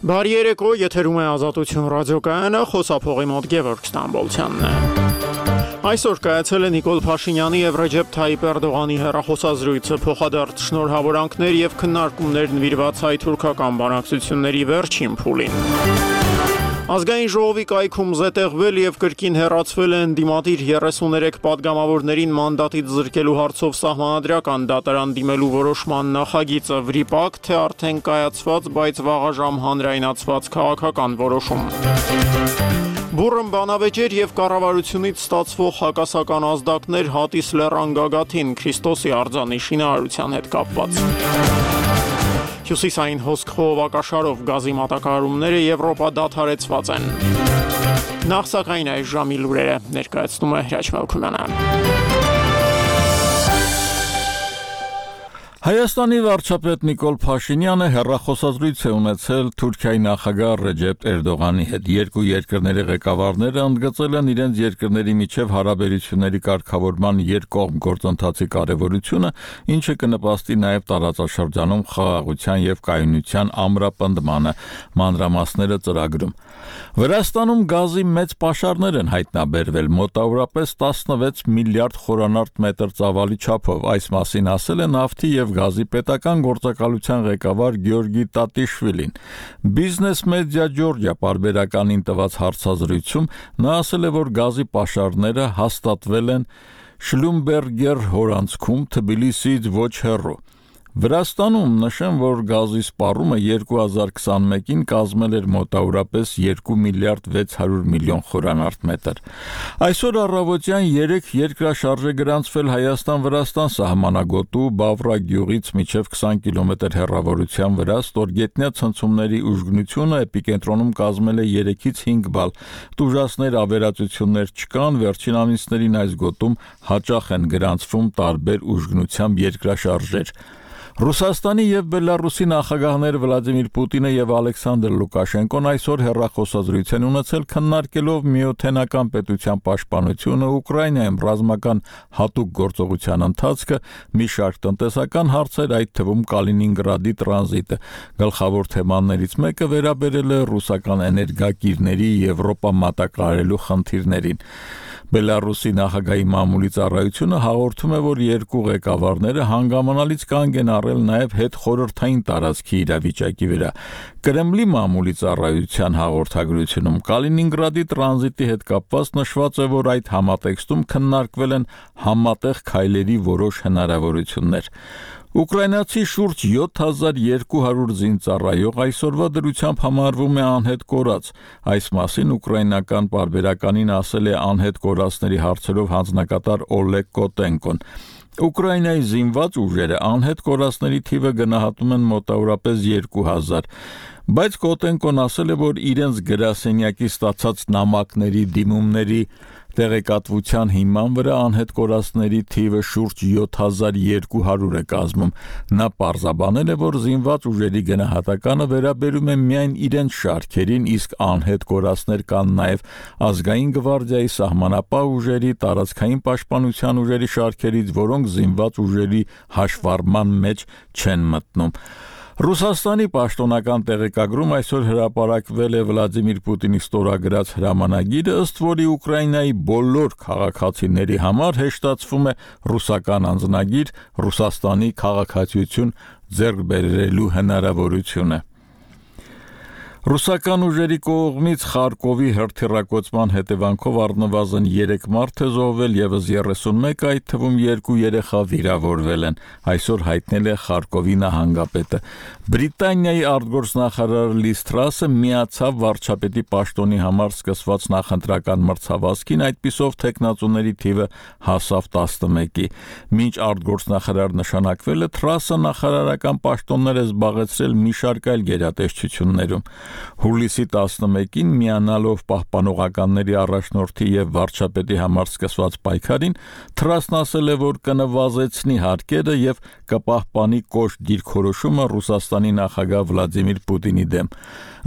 Բարի երեկո, եթերում է Ազատություն ռադիոկայանը, խոսափողի մոտ Գևորգ Ստամբոլցյանն է։ Այսօր կայացել է Նիկոլ Փաշինյանի եւ Ռեջեփ Թայիպ Էրդողանի հեռախոսազրույցը, փոխադարձ շնորհավորանքներ եւ քննարկումներ նվիրված հայ-թուրքական բանակցությունների վերջին փուլին։ Ազգային ժողովի կայքում զետեղվել եւ կրկին հեռացվել է ընդդիմադիր 33 падգամավորներին մանդատից զրկելու հարցով սահմանադրական դատարան դիմելու որոշման նախագիծը վրիպակ, թե արդեն կայացված, բայց վաղաժամ հանրայնացված քաղաքական որոշում։ Բուրըն բանավեճեր եւ կառավարությունից ստացվող հակասական ազդակներ Հատիս լեռան գագաթին Քրիստոսի արձանի շինարարության հետ կապված։ Հյուսիսային հոսք խողովակաշարով գազի մատակարարումները Եվրոպա դադարեցված են։ Նախ սակայն այս ժամի լուրերը ներկայացնում է Հրաչ Մելքումյանը։ Հայաստանի վարչապետ Նիկոլ Փաշինյանը հեռախոսազրույց է ունեցել Թուրքիայի նախագահ Ռեջեփ Էրդողանի հետ։ Երկու երկրների ղեկավարները ընդգծել են իրենց երկրների միջև հարաբերությունների կարգավորման երկկողմ գործընթացի կարևորությունը, ինչը կնպաստի նաև տարածաշրջանում խաղաղության եւ կայունության ամրապնդմանը, մանրամասները ծրագրում։ Վրաստանում գազի մեծ պաշարներ են հայտնաբերվել, մոտավորապես 16 միլիարդ խորանարդ մետր ծավալի չափով։ Այս մասին ասել է նավթի եւ գազի պետական գործակալության ղեկավար Գեորգի Տատիշվիլին։ Business Media Georgia պարբերականին տված հարցազրույցում նա ասել է, որ գազի պաշարները հաստատվել են Շլումբերգեր հորանցքում Թբիլիսիից ոչ հեռու։ Վրաստանում նշեմ, որ գազի սպառումը 2021-ին կազմել էր մոտավորապես 2 միլիարդ 600 միլիոն խորանարդ մետր։ Այսօր առավոտյան 3 երկրաշարժ է գրանցվել Հայաստան-Վրաստան սահմանագոտու Բավրա գյուղից մինչև 20 կիլոմետր հեռավորության վրա, ստորգետնյա ցնցումների ուժգնությունը էպիկենտրոնում կազմել է 3-ից 5 բալ։ Տուժածներ ավերածություններ չկան, վերջին ամիսներին այս գոտում հաճախ են գրանցվում տարբեր ուժգնությամբ երկրաշարժեր։ Ռուսաստանի եւ Բելարուսի նախագահներ Վլադիմիր Պուտինը եւ Ալեքսանդր Լուկաշենկոն այսօր հեռախոսազրույց են ունեցել, քննարկելով միութենական պետության պաշտպանությունը, Ուկրաինայում ռազմական հատուկ գործողության ընթացքը, մի շարք տնտեսական հարցեր, այդ թվում Կալինինգրադի տրանզիտը։ Գլխավոր թեմաներից մեկը վերաբերել է ռուսական էներգակիրների Եվրոպա մատակարարելու խնդիրներին։ Բելարուսի նախագահի մամուլի ծառայությունը հաղորդում է, որ երկու ղեկավարները հանգամանալից կանգ են առել նաև հետխորհրդային տարածքի իրավիճակի վրա։ Կրեմլի մամուլի ծառայության հաղորդագրությունում Կալինինգրադի տրանզիտի հետ կապված նշված է, որ այդ համատեքստում քննարկվել են համատեղ քայլերի որոշ հնարավորություններ։ Ուկրաինացի շուրջ 7200 զինծառայող այսօրվա դրությամբ համարվում է անհետ կորած։ Այս մասին ուկրաինական պարբերականին ասել է անհետ կորածների հարցերով հանձնակատար Օլեգ Կոտենկոն։ Ուկրաինայի զինված ուժերը անհետ կորածների թիվը գնահատում են մոտավորապես 2000, բայց Կոտենկոն ասել է, որ իրենց գրասենյակի ստացած նամակների դիմումների տեղեկատվության հիման վրա անհետ կորածների թիվը շուրջ 7200 է կազմում։ Նա պարզաբանել է, որ զինված ուժերի գնահատականը վերաբերում է միայն իրենց շարքերին, իսկ անհետ կորածներ կան նաև ազգային գվարդիայի, սահմանապահ ուժերի, տարածքային պաշտպանության ուժերի շարքերից, որոնք զինված ուժերի հաշվառման մեջ չեն մտնում։ Ռուսաստանի պաշտոնական տեղեկագրում այսօր հրապարակվել է Վլադիմիր Պուտինի ստորագրած հրամանագիրը, ըստ որի Ուկրաինայի բոլոր քաղաքացիների համար հեշտացվում է ռուսական անձնագիր, Ռուսաստանի քաղաքացիություն ձեռք բերելու հնարավորությունը։ Ռուսական ուժերի կողմից Խարկովի հրթիռակոծման հետևանքով առնվազն 3 մարդ է զոհվել, եւս 31, այդ թվում 2 երեխա վիրավորվել են, այսօր հայտնել է Խարկովի նահանգապետը։ Բրիտանիայի արտգործնախարար Լիզ Թրասը միացավ վարչապետի պաշտոնի համար սկսված նախընտրական մրցավազքին, այդպիսով թեկնածուների թիվը հասավ 11-ի։ Մինչ արտգործնախարար նշանակվելը Թրասը նախարարական պաշտոններ է զբաղեցրել մի շարք այլ գերատեսչություններում։ Հուլիսի 11-ին միանալով պահպանողականների առաջնորդի եւ վարչապետի համար սկսված պայքարին, Թրասն ասել է, որ կնվազեցնի հարկերը եւ կպահպանի կոշտ դիրքորոշումը Ռուսաստանի նախագահ Վլադիմիր Պուտինի դեմ։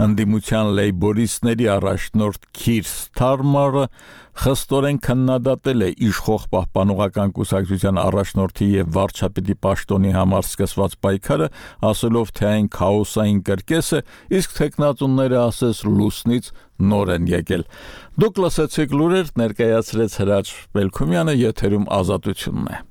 Ընդդիմության լեյբորիստների առաջնորդ Քիր Սթարմարը խստորեն քննադատել է իշխող պահպանողական կուսակցության առաջնորդի եւ վարչապետի պաշտոնի համար սկսված պայքարը, ասելով, թե այն քաոսային կրկես է, իսկ գործողությունները ասես լուսնից նոր են եկել։ Դուք լսեցիք լուրեր, ներկայացրեց Հրաչ Բելքումյանը, եթերում Ազատությունն է։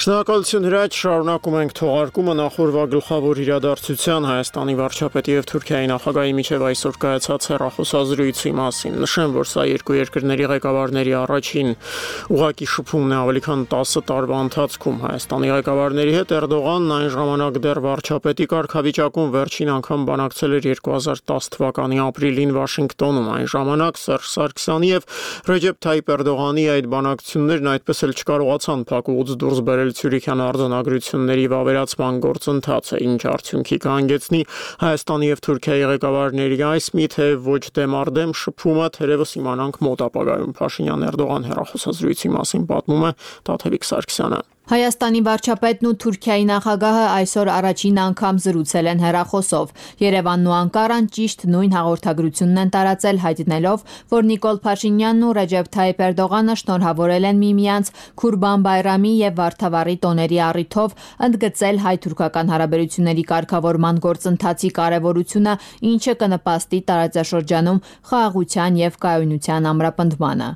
Շնորհակալություն Հրաչ, շարունակում ենք թողարկումը նախորդ գլխավոր իրադարձության Հայաստանի վարչապետի եւ Թուրքիայի նախագահի միջև այսօր կայացած հեռախոսազրույցի մասին։ Նշեմ, որ սա երկու երկրների ղեկավարների առաջին ուղղակի շփումն է ավելի քան 10 տարվա ընթացքում։ Հայաստանի ղեկավարների հետ Էրդողանն այն ժամանակ դեռ վարչապետի կարգավիճակում վերջին անգամ բանակցել էր 2010 թվականի ապրիլին Վաշինգտոնում։ Այն ժամանակ Սերժ Սարգսյանի եւ Ռեջեփ Թայիպ Էրդողանի այդ բանակցություններն այդպես էլ չկարողացան փակուղուց դուրս բերել Ցյուրիքյան արձանագրությունների վավերացման գործընթացը, ինչ արդյունքի կհանգեցնի Հայաստանի եւ Թուրքիայի ղեկավարների այս մի թե ոչ դեմ առ դեմ շփումը, թերևս իմանանք մոտ ապագայում։ Փաշինյան-Էրդողան հեռախոսազրույցի մասին պատմում է Տաթևիկ Սարգսյանը։ Հայաստանի վարչապետն ու Թուրքիայի նախագահը այսօր առաջին անգամ զրուցել են հեռախոսով։ Երևանն ու Անկարան ճիշտ նույն հաղորդագրությունն են տարածել, հայտնելով, որ Նիկոլ Փաշինյանն ու Ռեջեփ Թայիպ Էրդողանը շնորհավորել են միմյանց Քուրբան Բայրամի եւ Վարդավառի տոների առիթով, ընդգծել հայ-թուրքական հարաբերությունների կարգավորման գործընթացի կարեւորությունը, ինչը կնպաստի տարածաշրջանում խաղաղության եւ կայունության ամրապնդմանը։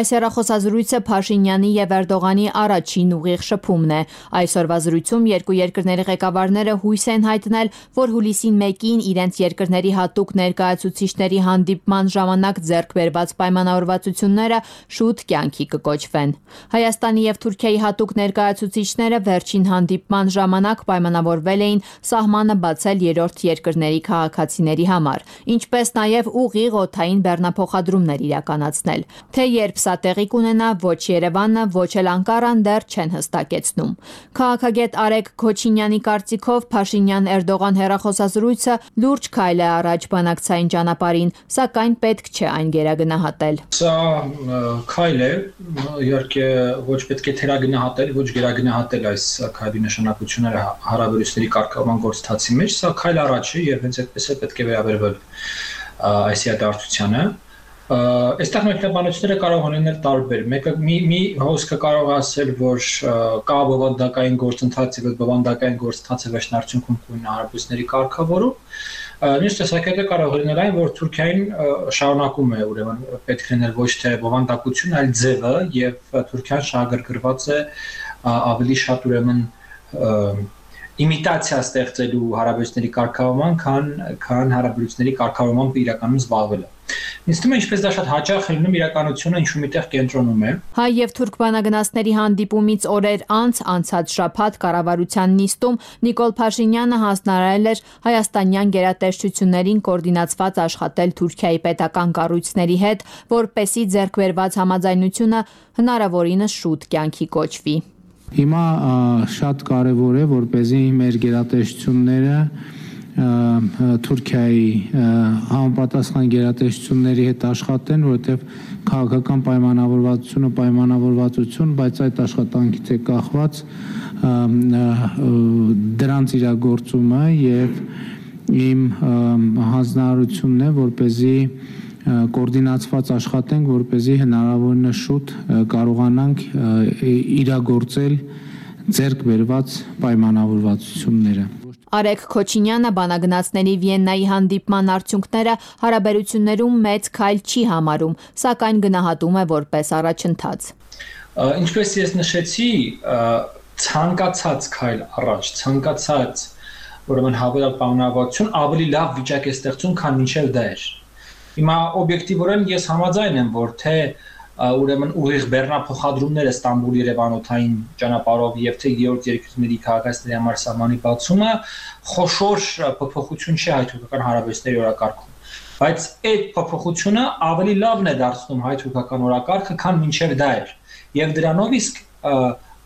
Այս հեռախոսազրույցը Փաշինյանի եւ Էրդողանի առաջին ուղիղ շփումն է։ Այսօրվա զրույցում երկու երկրների ղեկավարները հույս են հայտնել, որ հուլիսին 1-ին իրենց երկրների հատուկ ներկայացուցիչների հանդիպման ժամանակ ձեռք բերված պայմանավորվածությունները շուտ կյանքի կկոչվեն։ Հայաստանի եւ Թուրքիայի հատուկ ներկայացուցիչները վերջին հանդիպման ժամանակ պայմանավորվել էին սահմանը բացել երրորդ երկրների քաղաքացիների համար, ինչպես նաեւ ուղիղ օդային բեռնափոխադրումներ իրականացնել։ Թե երբ սա տեղի կունենա, ոչ Երևանը, ոչ էլ Անկարան դեռ չեն հստակեցնում։ Քաղաքագետ Արեգ Քոչինյանի կարծիքով Փաշինյան-Էրդողան հեռախոսազրույցը լուրջ քայլ է առաջ բանակցային ճանապարհին, սակայն պետք չէ այն գերագնահատել։ Սա քայլ է, իհարկե ոչ պետք է թերագնահատել, ոչ գերագնահատել այս քայլի նշանակությունները հարաբերությունների կարգավորման գործընթացի մեջ, սա քայլ առաջ է եւ հենց այդպես է պետք է վերաբերվել այս իրադարձությանը։ Այստեղ մեկնաբանությունները կարող են լինել տարբեր։ Մեկը մի հոսքը կարող ասել, որ կա բովանդակային գործընթաց եւ բովանդակային գործընթացը վերջնարդյունքում կունենա հարաբերությունների կարգավորում։ Մյուս տեսակետը կարող է լինել այն, որ Թուրքիային շարունակում է ուրեմն պետք լինել ոչ թե բովանդակություն, այլ ձևը եւ Թուրքիան շահագրգռված է ավելի շատ ուրեմն իմիտացիա ստեղծելու հարաբերությունների կարգավորման, քան հարաբերությունների կարգավորմամբ իրականում զբաղվելը։ Ինձ թվում է, ինչպես դա շատ հաճախ է լինում, իրականությունը ինչ-որ միտեղ կենտրոնում է։ Հայ եւ թուրք բանագնացների հանդիպումից օրեր անց անցած շաբաթ կառավարության նիստում Նիկոլ Փաշինյանը հանձնարարել էր հայաստանյան գերատեսչություններին կոորդինացված աշխատել Թուրքիայի պետական կառույցների հետ, որպեսզի ձեռքբերված համաձայնությունը հնարավորինս շուտ կյանքի կոչվի։ Հիմա շատ կարևոր է, որպեսզի մեր գերատեսչությունները Թուրքիայի համապատասխան գերատեսչությունների հետ աշխատեն, որովհետև քաղաքական պայմանավորվածություն, բայց այդ աշխատանքից է կախված դրանց իրագործումը եւ իմ հանձնարարությունն է, որպեսզի կոորդինացված աշխատենք, որպեսզի հնարավորինս շուտ կարողանանք իրագործել ձեռք բերված պայմանավորվածությունները։ Արեգ Քոչինյանը բանագնացների Վիեննայի հանդիպման արդյունքները հարաբերություններում մեծ քայլ չի համարում, սակայն գնահատում է որպես առաջընթաց։ Ինչպես ես նշեցի, ցանկացած քայլ առաջ, ցանկացած ուրեմն հավելյալ պայմանավորվածություն ավելի լավ վիճակ է ստեղծում, քան մինչև դա էր։ Հիմա օբյեկտիվորեն ես համաձայն եմ, որ թե ուրեմն ուղիղ բեռնափոխադրումները Ստամբուլ-Երևանոթային ճանապարհով եւ թե երրորդ երկրների քաղաքացիների համար սահմանի բացումը խոշոր փոփոխություն չի հայ-թուրքական հարաբերությունների օրակարգում, բայց այդ փոփոխությունը ավելի լավն է դարձնում հայ-թուրքական օրակարգը, քան մինչև դա էր, եւ դրանով իսկ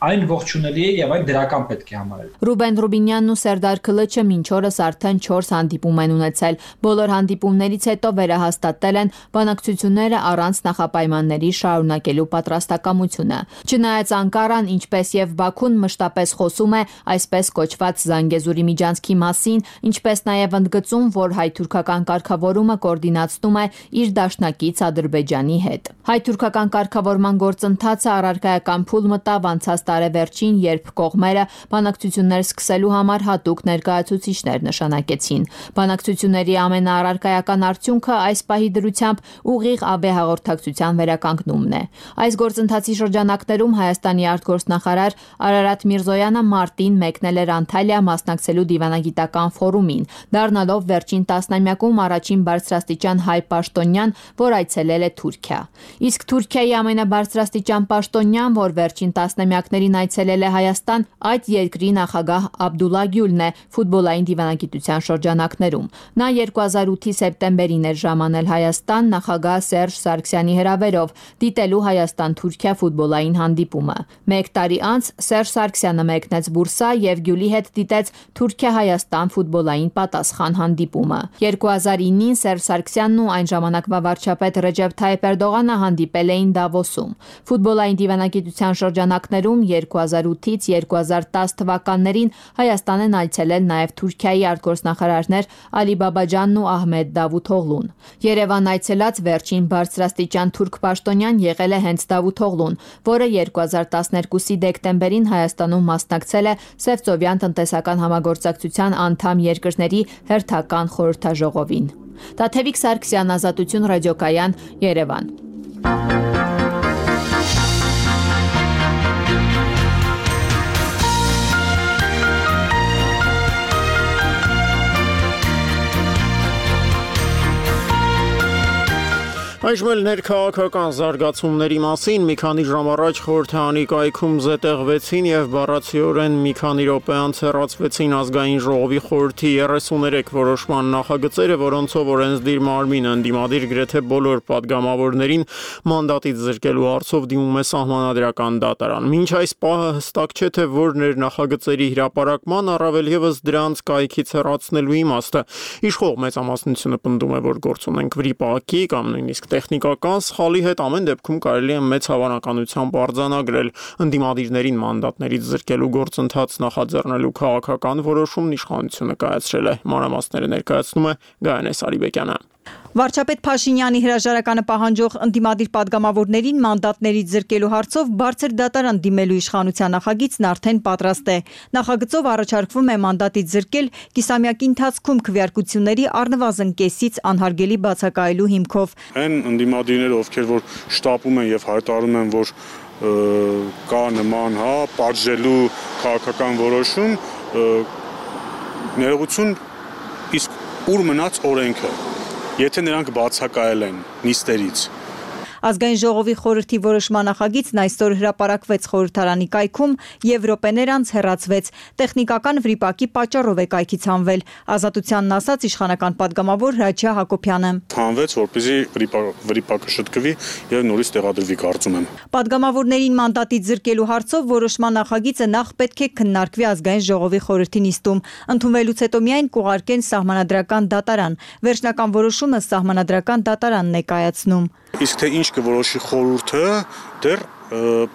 այն ողջունելի է եւ այն դրական պետք է համարել։ Ռուբեն Ռուբինյանն ու Սերդար Քլիչը մինչ օրս արդեն 4 հանդիպում են ունեցել։ Բոլոր հանդիպումներից հետո վերահաստատել են բանակցությունները առանց նախապայմանների շարունակելու պատրաստակամությունը։ Չնայած Անկարան, ինչպես եւ Բաքուն մշտապես խոսում է այսպես կոչված Զանգեզուրի միջանցքի մասին, ինչպես նաեւ ընդգծում, որ հայ-թուրքական կարգավորումը կոորդինացնում է իր դաշնակից Ադրբեջանի հետ։ Հայ-թուրքական կարգավորման գործընթացը առարկայական փուլ մտավ անցած տարեվերջին, երբ կողմերը բանակցություններ սկսելու համար հատուկ ներկայացուցիչներ նշանակեցին։ Բանակցությունների ամենաառարկայական արդյունքը այս պահի դրությամբ ուղիղ ԱԲ հաղորդակցության վերականգնումն է։ Այս գործընթացի շրջանակներում Հայաստանի արտգործնախարար Արարատ Միրզոյանը մարտին մեկնել էր Անտալիա մասնակցելու դիվանագիտական ֆորումին, դառնալով վերջին տասնամյակում առաջին բարձրաստիճան հայ պաշտոնյան, որ այցելել է Թուրքիա։ Իսկ Թուրքիայի ամենաբարձրաստիճան պաշտոնյան, որ վերջին տասնամյակներին այցելել է Հայաստան, այդ երկրի նախագահ Աբդուլլա Գյուլն է ֆուտբոլային դիվանագիտության շրջանակներում։ Նա 2008-ի սեպտեմբերին էր ժամանել Հայաստան նախագահ Սերժ Սարգսյանի հրավերով դիտելու Հայաստան-Թուրքիա ֆուտբոլային հանդիպումը։ Մեկ տարի անց Սերժ Սարգսյանը մեկնեց Բուրսա եւ Գյուլի հետ դիտեց Թուրքիա-Հայաստան ֆուտբոլային պատասխան հանդիպումը։ 2009-ին Սերժ Սարգսյանն ու այն ժամանակվա վարչապետ Ռեջեփ Թայիփ Էրդողանը հանդիպել էին Դավոսում։ Ֆուտբոլային դիվանագիտության շրջանակներում 2008-ից 2010 թվականներին Հայաստան են այցելել նաև Թուրքիայի արտգործնախարարներ Ալի Բաբաջանն ու Ահմեդ Դավութօղլուն։ Երևան այցելած վերջին բարձրաստիճան թուրք պաշտոնյան եղել է հենց Դավութօղլուն, որը 2012-ի դեկտեմբերին Հայաստանում մասնակցել է Սևծովյան տնտեսական համագործակցության անդամ երկրների հերթական խորհրդաժողովին։ Տաթևիկ Սարգսյան, Ազատություն ռադիոկայան, Երևան։ Այժմ էլ ներքաղաքական զարգացումների մասին մի քանի ժամ առաջ խորհրդարանի կայքում զետեղվեցին եւ բառացիորեն մի քանի րոպե անց հեռացվեցին ազգային ժողովի խորհրդի 33 որոշման նախագծերը, որոնցով օրենսդիր մարմինը ընդդիմադիր գրեթե բոլոր падգամավորներին մանդատից զրկելու հարցով դիմում է սահմանադրական դատարան։ Մինչ այս պահը հստակ չէ, թե որն էր նախագծերի հրապարակման, առավել եւս դրանց կայքից հեռացնելու իմաստը։ Իշխող մեծամասնությունը պնդում է, որ գործ ունենք վրիպակի կամ նույնիսկ տեխնիկական սխալի հետ, ամեն դեպքում կարելի է մեծ հավանականությամբ արձանագրել ընդդիմադիրներին մանդատներից զրկելու գործընթաց նախաձեռնելու քաղաքական որոշումն իշխանությունը կայացրել է։ Մանրամասները ներկայացնում է Գայանե Սարիբեկյանը։ Վարչապետ Փաշինյանի հրաժարականը պահանջող ընդդիմադիր падգամավորներին մանդատներից զրկելու հարցով բարձր դատարան դիմելու իշխանության նախագիծն արդեն պատրաստ է։ Նախագծով առաջարկվում է մանդատից զրկել կիսամյակի ընթացքում քվեարկությունների առնվազն կեսից անհարգելի բացակայելու հիմքով։ Այն ընդդիմադիրները, ովքեր որ շտապում են եւ հայտարարում են, որ կա նման պատժելու քաղաքական որոշում, ներողություն, իսկ ուր մնաց օրենքը։ Եթե նրանք բացակայել են նիստերից։ Ազգային ժողովի խորհրդի որոշման նախագիծն այսօր հրապարակվեց խորհրդարանի կայքում եւ րոպեներ անց հեռացվեց։ Տեխնիկական վրիպակի պատճառով է կայքից հանվել։ Ազատությանն ասաց իշխանական падգամավոր Հրաչյա Հակոբյանը։ Հանվեց, որպեսզի վրիպակը շտկվի եւ նորից տեղադրվի, կարծում եմ։ Падգամավորներին մանդատից զրկելու հարցով որոշման նախագիծը նախ պետք է քննարկվի ազգային ժողովի խորհրդի նիստում։ Ընդունվելուց հետո միայն կուղարկեն սահմանադրական դատարան։ Վերջնական որոշումը սահմանադրական դատարանն է կայացնում։ Իսկ թե ինչ կորոշի խորհուրդը, դեռ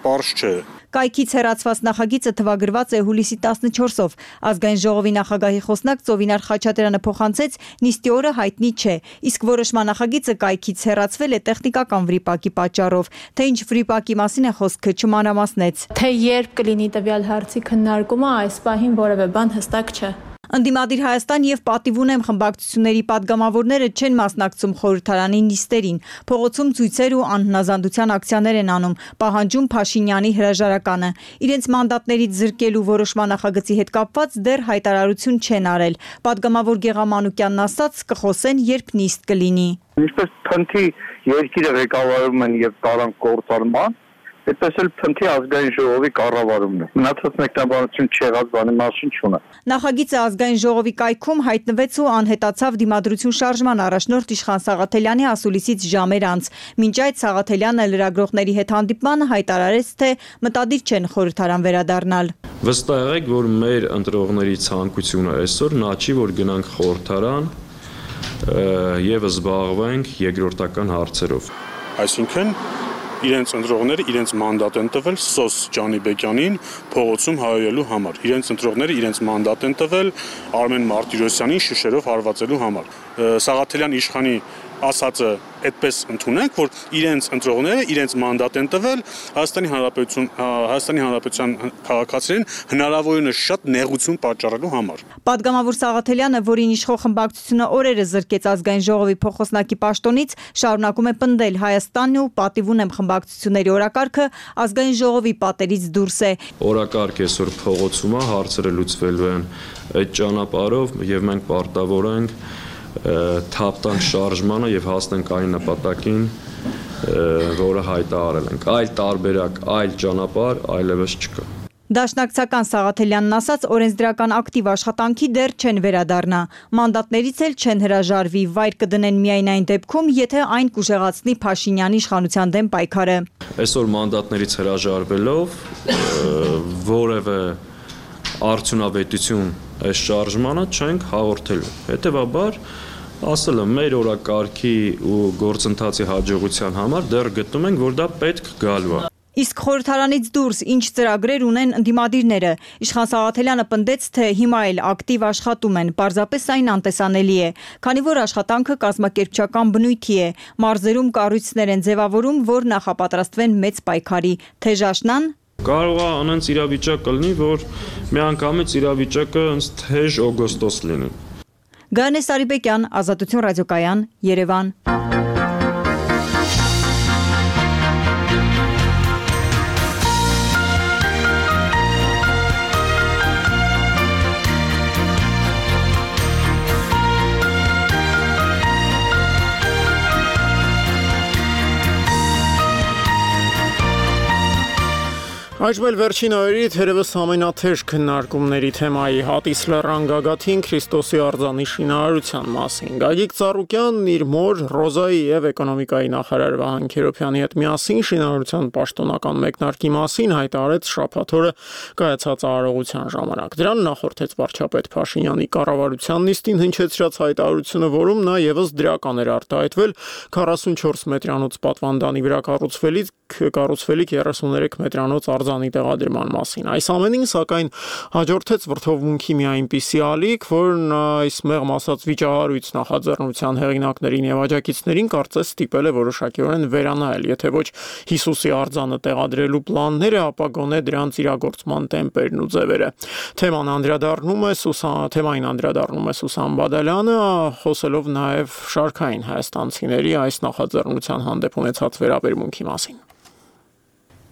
պարզ չէ։ Կայքից հեռացված նախագիծը թվագրված է հուլիսի 14-ով։ Ազգային ժողովի նախագահի խոսնակ Ծովինար Խաչատրյանը փոխանցեց, նիստի օրը հայտնի չէ, իսկ որոշման նախագիծը կայքից հեռացվել է տեխնիկական վրիպակի պատճառով։ Թե ինչ վրիպակի մասին է խոսքը, չմանրամասնեց։ Թե երբ կլինի տվյալ հարցի քննարկումը, այս պահին որևէ բան հստակ չէ։ Ընդդիմադիր Հայաստան եւ Պատիվ ունեմ խմբակցությունների падգամավորները չեն մասնակցում խորհրդարանի նիստերին։ Փողոցում ցույցեր ու անհնազանդության ակցիաներ են անում, պահանջում Փաշինյանի հրաժարականը։ Իրենց մանդատներից զրկելու որոշման նախագծի հետ կապված դեռ հայտարարություն չեն արել։ Падգամավոր Գեղամ Մանուկյանն ասաց, կխոսեն, երբ նիստ կլինի։ Ինչպես փնթի երկիրը ղեկավարում են եւ տարան կործանման, այդպես էլ փնթի ազգային ժողովի կառավարումն է։ Մնացած մեկնաբանություն չեղած բանի մասին չունի։ Նախագիծը ազգային ժողովի կայքում հայտնվեց ու անհետացավ դիմադրություն շարժման առաջնորդ Իշխան Սաղաթելյանի ասուլիսից ժամեր անց։ Մինչ այդ Սաղաթելյանը լրագրողների հետ հանդիպմանը հայտարարեց, թե մտադիր չեն խորհրդարան վերադառնալ։ Վստահ եղեք, որ մեր ընտրողների ցանկությունը այսօր նա չի, որ գնանք խորհրդարան եւ զբաղվենք երկրորդական հարցերով։ Այսինքն իրենց ընտրողները իրենց մանդատ են տվել Սոս Ջանիբեկյանին փողոցում հայելու համար։ Իրենց ընտրողները իրենց մանդատ են տվել Արմեն Մարտիրոսյանին շշերով հարվածելու համար։ Սաղաթելյան իշխանի ասածը այդպես ընդունենք, որ իրենց ընտրողները իրենց մանդատ են տվել Հայաստանի Հանրապետության քաղաքացիներին հնարավորինս շատ նեղություն պատճառելու համար։ Պատգամավոր Սաղաթելյանը, որին իշխող խմբակցությունը օրերս զրկեց ազգային ժողովի փոխոսնակի պաշտոնից, շարունակում է պնդել Հայաստանն ու պատիվ ունեմ խմբակցությունների օրակարգը ազգային ժողովի պատերից դուրս է։ Օրակարգ այսօր փողոցում է, հարցերը լուծվելու են այդ ճանապարհով եւ մենք պարտավոր ենք թափտանք շարժմանը եւ հասնենք այն նպատակին, որը հայտարարել ենք։ Այլ տարբերակ, այլ ճանապարհ այլևս չկա։ Դաշնակցական Սաղաթելյանն ասաց, օրենսդրական ակտիվ աշխատանքի դեռ չեն վերադառնա։ Մանդատներից էլ չեն հրաժարվի, վայր կդնեն միայն այն դեպքում, եթե այն կուժեղացնի Փաշինյանի իշխանության դեմ պայքարը։ Այսօր մանդատներից հրաժարվելով որևէ արդյունավետություն այս շարժմանը չենք հաղորդելու։ Հետևաբար ասել եմ, մեր օրակարգի ու գործընթացի հաջողության համար դեռ գտնում ենք, որ դա պետք գալու է։ Իսկ խորհրդարանից դուրս ինչ ծրագրեր ունեն ընդդիմադիրները։ Իշխան Սաղաթելյանը պնդեց, թե հիմա էլ ակտիվ աշխատում են, պարզապես այն անտեսանելի է, քանի որ աշխատանքը կազմակերպչական բնույթի է, մարզերում կառույցներ են ձևավորում, որ նախապատրաստվեն մեծ պայքարի։ Թեժաշնան Կարող է անենց իրավիճակ լինի, որ միանգամից իրավիճակը ըստ թեժ օգոստոս լինի։ Գայանե Սարիբեկյան, Ազատություն ռադիոկայան, Երևան։ Այժմ էլ վերջին օրերի թերևս ամենաթեժ քննարկումների թեմայի Հատիս լեռան գագաթին Քրիստոսի արձանի շինարարության մասին։ Գագիկ Ծառուկյանն իր մոր Ռոզայի եւ էկոնոմիկայի նախարար Վահան Քերոբյանի հետ միասին շինարարության պաշտոնական մեկնարկի մասին հայտարարեց շաբաթ օրը կայացած արարողության ժամանակ։ Դրան նախորդեց վարչապետ Փաշինյանի կառավարության նիստին հնչեցրած հայտարարությունը, որում նա եւս դրական էր արտահայտվել 44 մետրանոց պատվանդանի վրա կառուցվելիք 33 մետրանոց արձանի տեղադրման մասին։ Այս ամենին սակայն հաջորդեց վրդովմունքի մի այնպիսի ալիք, որն այս մեղմ ասած վիճահարույց նախաձեռնության հեղինակներին եւ աջակիցներին կարծես ստիպել է որոշակիորեն վերանայել, եթե ոչ Հիսուսի արձանը տեղադրելու պլանները, ապա գոնե դրանց իրագործման տեմպերն ու ձևերը։ Թեմային անդրադառնում է Սուսան Բադալյանը, խոսելով նաեւ շարքային հայաստանցիների այս նախաձեռնության հանդեպ ունեցած վերաբերմունքի մասին։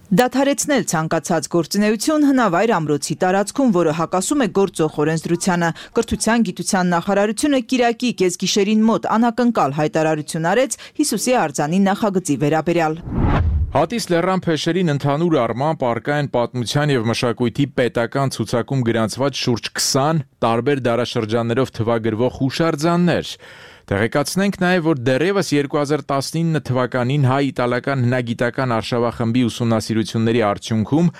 Դադարեցնել ցանկացած գործունեություն հնավայր ամրոցի տարածքում, որը հակասում է գործող օրենսդրությանը, Կրթության գիտության նախարարությունը Կիրակի կեսգիշերին մոտ անակնկալ հայտարարություն արեց Հիսուսի արձանի նախագծի վերաբերյալ։ Հատիս լեռան փեշերին ընդհանուր առմամբ առկա են պատմության եւ մշակույթի պետական ցուցակում գրանցված շուրջ 20 տարբեր դարաշրջաններով թվագրվող հուշարձաններ։ Տեղեկացնենք նաև, որ դեռևս 2019 թվականին հայ-իտալական հնագիտական արշավախմբի ուսումնասիրությունների արդյունքում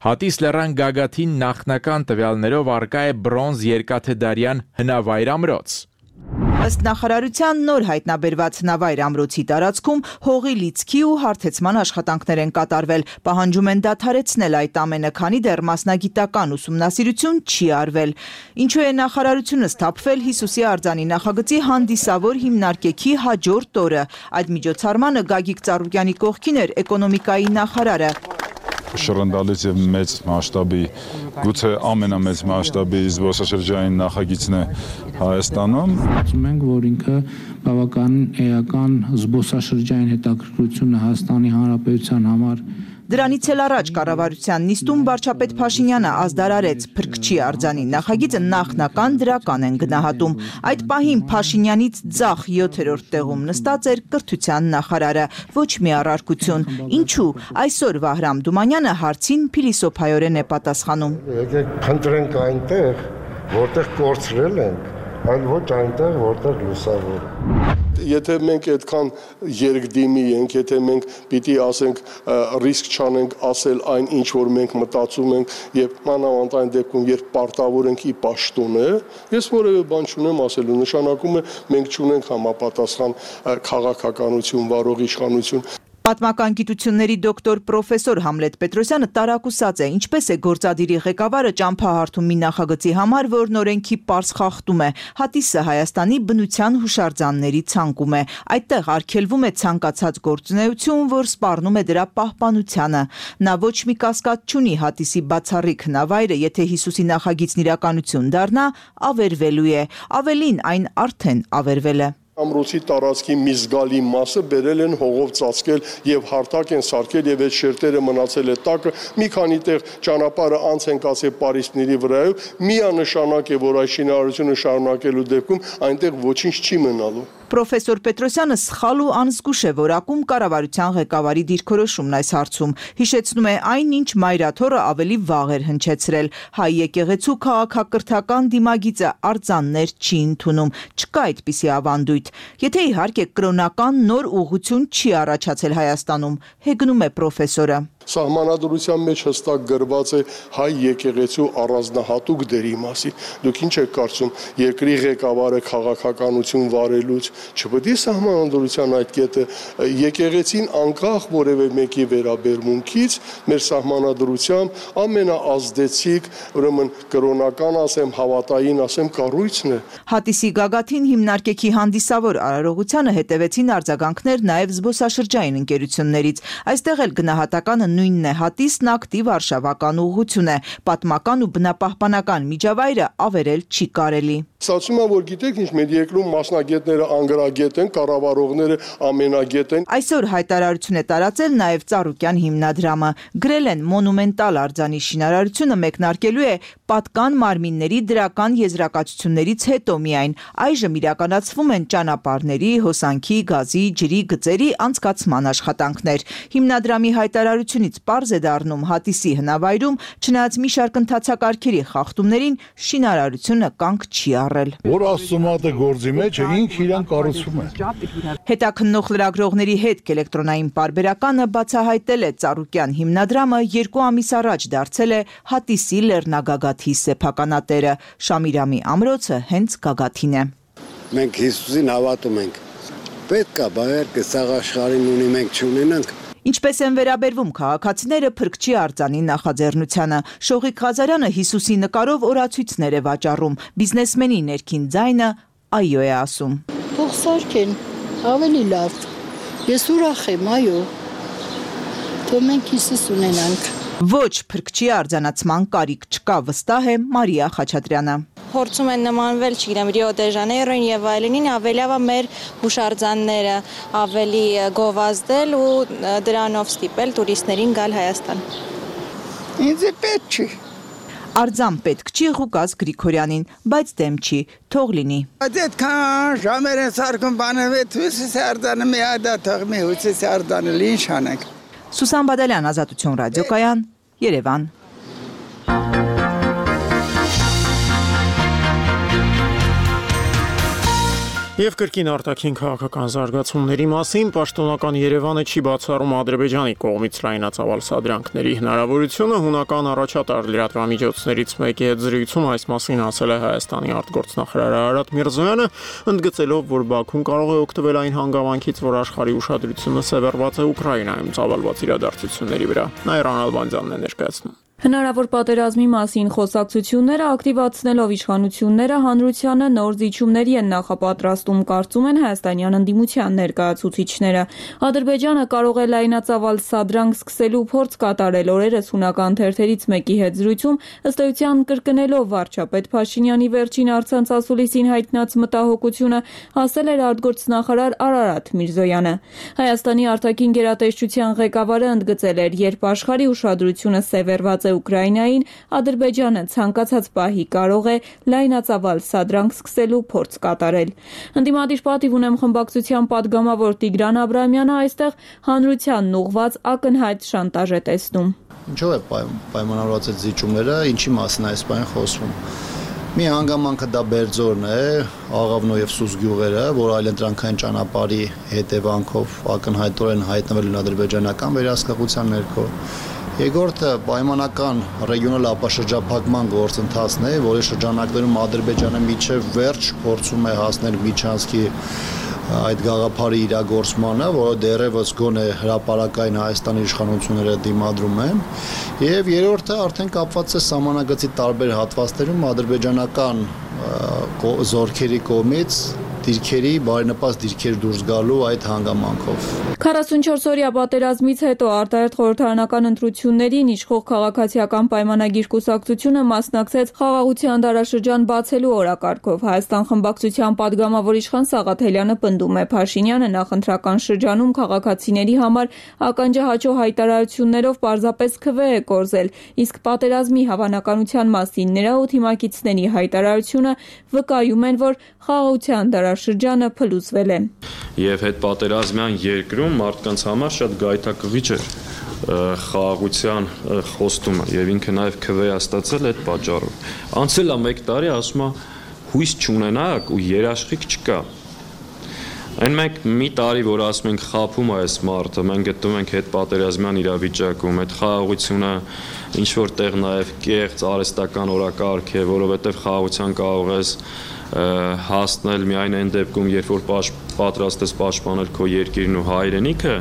Հատիս լեռան գագաթին նախնական տվյալներով առկա է բրոնզ երկաթեդարյան հնավայր ամրոց։ Ըստ նախարարության նոր հայտնաբերված հնավայր ամրոցի տարածքում հողի լիցքի ու հարթեցման աշխատանքներ են կատարվել, պահանջում են դադարեցնել այդ ամենը, քանի դեռ մասնագիտական ուսումնասիրություն չի արվել։ Ինչու է նախարարությունը սթափվել Հիսուսի արձանի նախագծի հանդիսավոր հիմնարկեքի հաջորդ օրը։ Այդ միջոցառմանը Գագիկ Ծառուկյանի կողքին էր էկոնոմիկայի նախարարը։ Շռնդալից եւ մեծ մասշտաբի, գուցե ամենամեծ մասշտաբի զբոսաշրջային նախագիծն է Հայաստանում։ Ասում ենք, որ ինքը բավականին էական զբոսաշրջային հետաքրքրությունը Հայաստանի Հանրապետության համար Դրանից էլ առաջ կառավարության նիստում վարչապետ Փաշինյանը ազդարարեց Փրկչի արձանի նախագիծը նախնական դրական են գնահատում։ Այդ պահին Փաշինյանից ձախ 7-րդ տեղում նստած էր կրթության նախարարը, ոչ մի առարկություն։ Ինչու՞։ Այսօր Վահրամ Դումանյանը հարցին փիլիսոփայորեն է պատասխանում։ Եկեք փնտրենք այնտեղ, որտեղ կորցրել ենք, այլ ոչ այնտեղ, որտեղ լուսավոր։ Եթե մենք այդքան երկդիմի ենք, եթե մենք պիտի ասենք ռիսկ չանենք ասել այն, ինչ որ մենք մտածում ենք եւ մանավանդ այն դեպքում, երբ պարտավոր ենք ի պաշտոն է, ես որևէ բան չունեմ ասելու, նշանակում է մենք չունենք համապատասխան քաղաքականություն, վարող իշխանություն։ Պատմական գիտությունների դոկտոր պրոֆեսոր Համլետ Պետրոսյանը տարակուսած է, ինչպես է գործադիրի ղեկավարը ճամփահարթում մի նախագծի համար, որն օրենքի պարզ խախտում է։ Հատիսը Հայաստանի բնության հուշարձանների ցանկում է։ Այդտեղ արգելվում է ցանկացած գործունեություն, որ սպառնում է դրա պահպանությանը։ Նա ոչ մի կասկած չունի Հատիսի բացառիկ հնավայրը, եթե Հիսուսի նախագիծն իրականություն դառնա, ավերվելու է։ Ավելին, այն արդեն ավերվել է։ Ամրոցի տարածքի մի զգալի մասը բերել են հողով ծածկել եւ հարթակ են սարքել եւ այդ շերտերը մնացել է տակը մի քանի տեղ ճանապարհը անց են կացել պարիսպների վրայով միանշանակ է որ այս շինարարությունը շարունակելու դեպքում այնտեղ ոչինչ չի մնալու Պրոֆեսոր Պետրոսյանը սխալ ու անզգուշ է որակում կառավարության ղեկավարի դիրքորոշումն այս հարցում։ Հիշեցնում է այն, ինչ Մայրաթորը ավելի վաղ էր հնչեցրել։ Հայ եկեղեցու քաղաքակրթական դիմագիծը արձաններ չի ընդունում, չկա այդպիսի ավանդույթ։ Եթե իհարկե կրոնական նոր ուղղություն չի առաջացել Հայաստանում, հեգնում է պրոֆեսորը։ Սահմանադրության մեջ հստակ գրված է հայ եկեղեցու առանձնահատուկ դերի մասին։ Դուք ինչ եք կարծում, երկրի ղեկավարը քաղաքականություն վարելուց չպետք է սահմանադրության այդ կետը եկեղեցին անկախ որևէ մեկի վերաբերմունքից մեր սահմանադրությամբ ամենաազդեցիկ, ուրեմն կրոնական ասեմ, հավատային ասեմ, կառույցն է։ Հատիսի գագաթին հիմնարկեքի հանդիսավոր արարողությանը հետևեցին արձագանքներ նաև զբոսաշրջային ընկերություններից։ Այստեղ էլ գնահատականը նույնն է, Հատիսն ակտիվ արշավական ուղղություն է, պատմական ու բնապահպանական միջավայրը ավերել չի կարելի։ Ստացվում է, որ գիտեք ինչ, մեր երկրում մասնագետները անգրագետ են, կառավարողները ամենագետ են։ Այսօր հայտարարություն է տարածել նաև Ծառուկյան հիմնադրամը։ Գրել են մոնումենտալ արձանի շինարարությունը մեկնարկելու է պատկան մարմինների դրական եզրակացություններից հետո միայն։ Այժմ իրականացվում են ճանապարհների, հոսանքի, գազի, ջրի, գծերի անցկացման աշխատանքներ։ Հիմնադրամի հայտարարությունից պարզ է դառնում Հատիսի հնավայրում, չնայած մի շարք ընթացակարգերի խախտումներին, շինարարությունը կանգ չի առել։ Որ ասումատը գործի մեջ է, ինքը իրան կառուցում է։ Հետաքննող լրագրողների հետ էլեկտրոնային պարբերականը բացահայտել է Ծառուկյան հիմնադրամը 2 ամիս առաջ դարձել է Հատիսի լեռնագագաթի սեփականատերը։ Շամիրամի ամրոցը հենց գագաթին է։ Մենք Հիսուսին հավատում ենք։ Պետք է բայարկը սաղ աշխարհին ունի, մենք չունենանք։ Ինչպես են վերաբերվում քաղաքացիները Փրկչի արձանի նախաձեռնությանը։ Շողիկ Ղազարյանը Հիսուսի նկարով օրացույցներ է վաճառում։ Բիզնեսմենի ներքին ձայնը այո է ասում։ Թող սարքեն, ավելի լավ։ Ես ուրախ եմ, այո։ Թող մենք Հիսուս ունենանք։ Ոչ Փրկչի արձանացման կարիք չկա, վստահ է Մարիա Խաչատրյանը։ Փորձում են նմանվել, չգիտեմ, Ռիո դե Ժանեյրոին եւ այլնին, ավելի լավ է մեր հուշարձանները ավելի գովազդել ու դրանով ստիպել տուրիստներին գալ Հայաստան։ Ինձ պետք չի։ Արձան պետք չի Ղուկաս Գրիգորյանին, բայց դեմ չի, թող լինի։ Այդքան ժամեր են սարքում բաները, հույսս արձանը մի ադա թող մի հույսս արձանը ինչ անենք։ Սուսան Բադալյան, Ազատություն ռադիոկայան, Երևան։ Եվ կրկին արտաքին քաղաքական զարգացումների մասին պաշտոնական Երևանը չի բացառում Ադրբեջանի կողմից լայնածավալ սադրանքների հնարավորությունը։ Հունական առաջատար լրատվամիջոցներից մեկի հետ զրույցում այս մասին ասել է Հայաստանի արտգործնախարար Արարատ Միրզոյանը, ընդգծելով, որ Բաքուն կարող է օգտվել այն հանգամանքից, որ աշխարհի ուշադրությունը սևեռված է Ուկրաինայում ծավալված իրադարձությունների վրա։ Նաիրա Ալբանդյանն է ներկայացնում։ Հնարավոր պատերազմի մասին խոսակցությունները ակտիվացնելով իշխանությունները հանրությանը նոր զիջումների են նախապատրաստում, կարծում են հայաստանյան ընդդիմության ներկայացուցիչները։ Ադրբեջանը կարող է լայնածավալ սադրանք սկսելու փորձ կատարել օրերս հունական թերթերից մեկի հետ զրույցում, ըստ էության կրկնելով վարչապետ Փաշինյանի վերջին առցանց ասուլիսին հայտնած մտահոգությունը, ասել էր արտգործնախարար Արարատ Միրզոյանը։ Հայաստանի արտաքին գերատեսչության ղեկավարը ընդգծել էր, երբ աշխարհի ուշադրությունը սևեռված Ուկրաինային, Ադրբեջանը ցանկացած պահի կարող է լայնածավալ սադրանք սկսելու փորձ կատարել։ Ընդդիմադիր պատիվ ունեմ խմբակցության падգամավոր Տիգրան Աբրահամյանը այստեղ հանրությանն ուղղված ակնհայտ շանտաժ է տեսնում։ Ինչո՞վ է պայմանավորված այդ զիջումները, ինչի մասին է այս բանը խոսվում։ Մի հանգամանքը դա Բերձորն է, Աղավնո եւ Սուս գյուղերը, որ այլընտրանքային ճանապարհի հետևանքով ակնհայտորեն հայտնվել են ադրբեջանական վերահսկողության ներքո։ Երկրորդը պայմանական ռեգիոնալ ապաշրջափակման գործընթացն է, որի շրջանակներում Ադրբեջանը միջև վերջ փորձում է հասնել միջանցքի այդ գաղափարի իրագործմանը, որը դեռևս գոնե հրապարակային Հայաստանի իշխանությունները դիմադրում են, եւ երրորդը արդեն կապված է սահմանագծի տարբեր հատվածներում ադրբեջանական զորքերի կողմից դիրքերի, բարենպաստ դիրքեր դուրս գալու այդ հանգամանքով։ 44-օրյա պատերազմից հետո արտահերթ խորհրդարանական ընտրություններին իշխող քաղաքացիական պայմանագիր կուսակցությունը մասնակցեց խաղաղության դարաշրջան բացելու օրակարգով։ Հայաստան խմբակցության падգամավոր իշխան Սաղաթելյանը պնդում է, Փաշինյանը նախընտրական շրջանում քաղաքացիների համար ականջահաչո հայտարարություններով պարզապես քվե է կորզել, իսկ պատերազմի հավանականության մասին նրա ու թիմակիցների հայտարարությունը վկայում են, որ խաղաղության դարաշրջանը փլուզվել է։ Եվ հետ պատերազմյան երկրում մարդկանց համար շատ գայթակղիչ էր խաղաղության խոստումը եւ ինքը նաեւ քվե ստացել այդ պատճառով։ Անցել է 1 տարի, ասում է հույս չունենաք ու երաշխիք չկա։ Այն մենք մի տարի, որ ասում ենք խափում է այս մարդը, մենք գտնում ենք հետ պատերազմյան իրավիճակում, այդ խաղաղությունը ինչ որտեղ նաեւ կեղծ արհեստական օրակարգ է, որովհետեւ խաղաղության կարող ես հասնել միայն այն դեպքում, երբ որ պատրաստ ես պաշտպանել քո երկիրն ու հայրենիքը,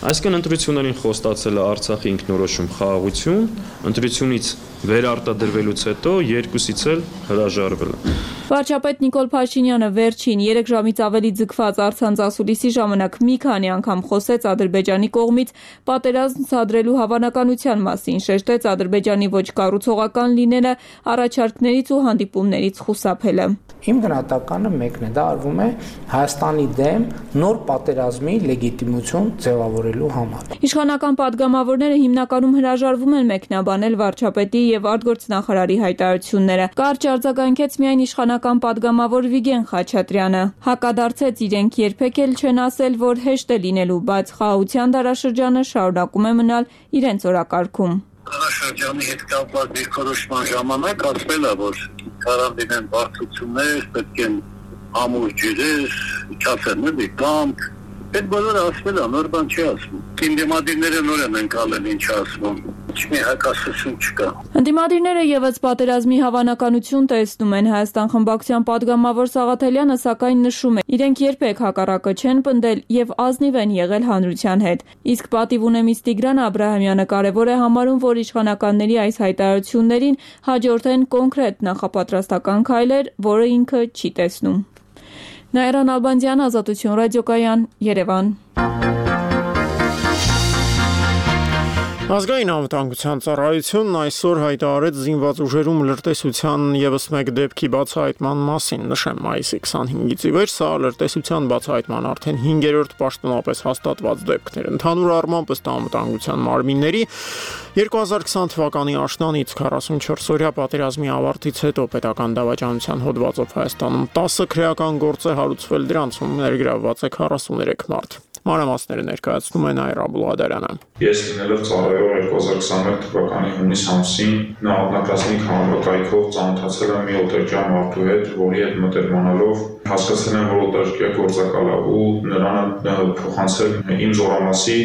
այսինքն ընտրություններին խոստացել է Արցախի ինքնորոշում խաղաղություն, ընտրությունից վերարտադրվելուց հետո երկուսից էլ հրաժարվել է։ Վարչապետ Նիկոլ Փաշինյանը վերջին 3 ժամից ավելի ձգված առցանց ասուլիսի ժամանակ մի քանի անգամ խոսեց Ադրբեջանի կողմից պատերազմ սադրելու հավանականության մասին, շեշտեց Ադրբեջանի ոչ կառուցողական լինելը, առաջարկներից ու հանդիպումներից խուսափելը։ Իմ գնահատականը մեկն է, դա արվում է Հայաստանի դեմ նոր պատերազմի լեգիտիմություն ձևավորելու համար։ Իշխանական падգամավորները հիմնականում հրաժարվում են մեկնաբանել վարչապետի եւ արտգործնախարարի հայտարարությունները։ Կարճ արձագանքեց միայն իշխանական падգամավոր Վիգեն Խաչատրյանը։ Հակադարձեց իրենք երբեք էլ չեն ասել, որ հեշտ է լինելու, բայց խաղաղության դարաշրջանը շարունակում է մնալ իրենց օրակարգում։ Դարաշրջանի հետ կապված դիրքորոշման ժամանակ ասվել է, որ կարանդինեն բարդություններ, պետք են ամուր ջրեր, չասեն կամք, այդ բոլորը ասվել է, նոր բան չի ասվում։ Ընդդիմադիրները նոր են ընկալել ինչ ասվում, մի հակասություն չկա։ Ընդդիմադիրները եւս պատերազմի հավանականություն տեսնում են։ Հայաստան խմբակցության падգամավոր Սաղաթելյանը սակայն նշում է, իրենք երբեք հակառակը չեն պնդել եւ ազնիվ են եղել հանրության հետ։ Իսկ պատիվ ունեմից Տիգրան Աբրահամյանը կարևոր է համարում, որ իշխանականների այս հայտարարություններին հաջորդեն կոնկրետ նախապատրաստական քայլեր, որը ինքը չի տեսնում։ Նաիրան Ալբանդյան, Ազատություն ռադիոկայան, Երևան։ Ազգային անվտանգության ծառայությունն այսօր հայտարարեց զինված ուժերում լրտեսության եւս մեկ դեպքի բացահայտման մասին, նշեմ մայիսի 25-ից ի վեր սա լրտեսության բացահայտման արդեն 5-րդ պաշտոնապես հաստատված դեպքն էր։ Ընդհանուր առմամբ ըստ անվտանգության մարմինների 2020 թվականի աշնանից 44-օրյա պատերազմի ավարտից հետո պետական դավաճանության հոդվածով Հայաստանում 10 քրեական գործ է հարուցվել, դրանցում ներգրավված է 43 մարդ։ Մանրամասները ներկայացնում է Նաիրա Բուլղադարյանը։ Ես լինելով ծառայող 2021 թվականի հունիս ամսին նահատակազմիկ հանրակայքով ծանոթացել եմ մի օտարչյան մարդու հետ, որի հետ մտերմանալով հասկացել եմ, որ օտարերկրյա գործակալ է ու նրան փոխանցել իմ զորամասի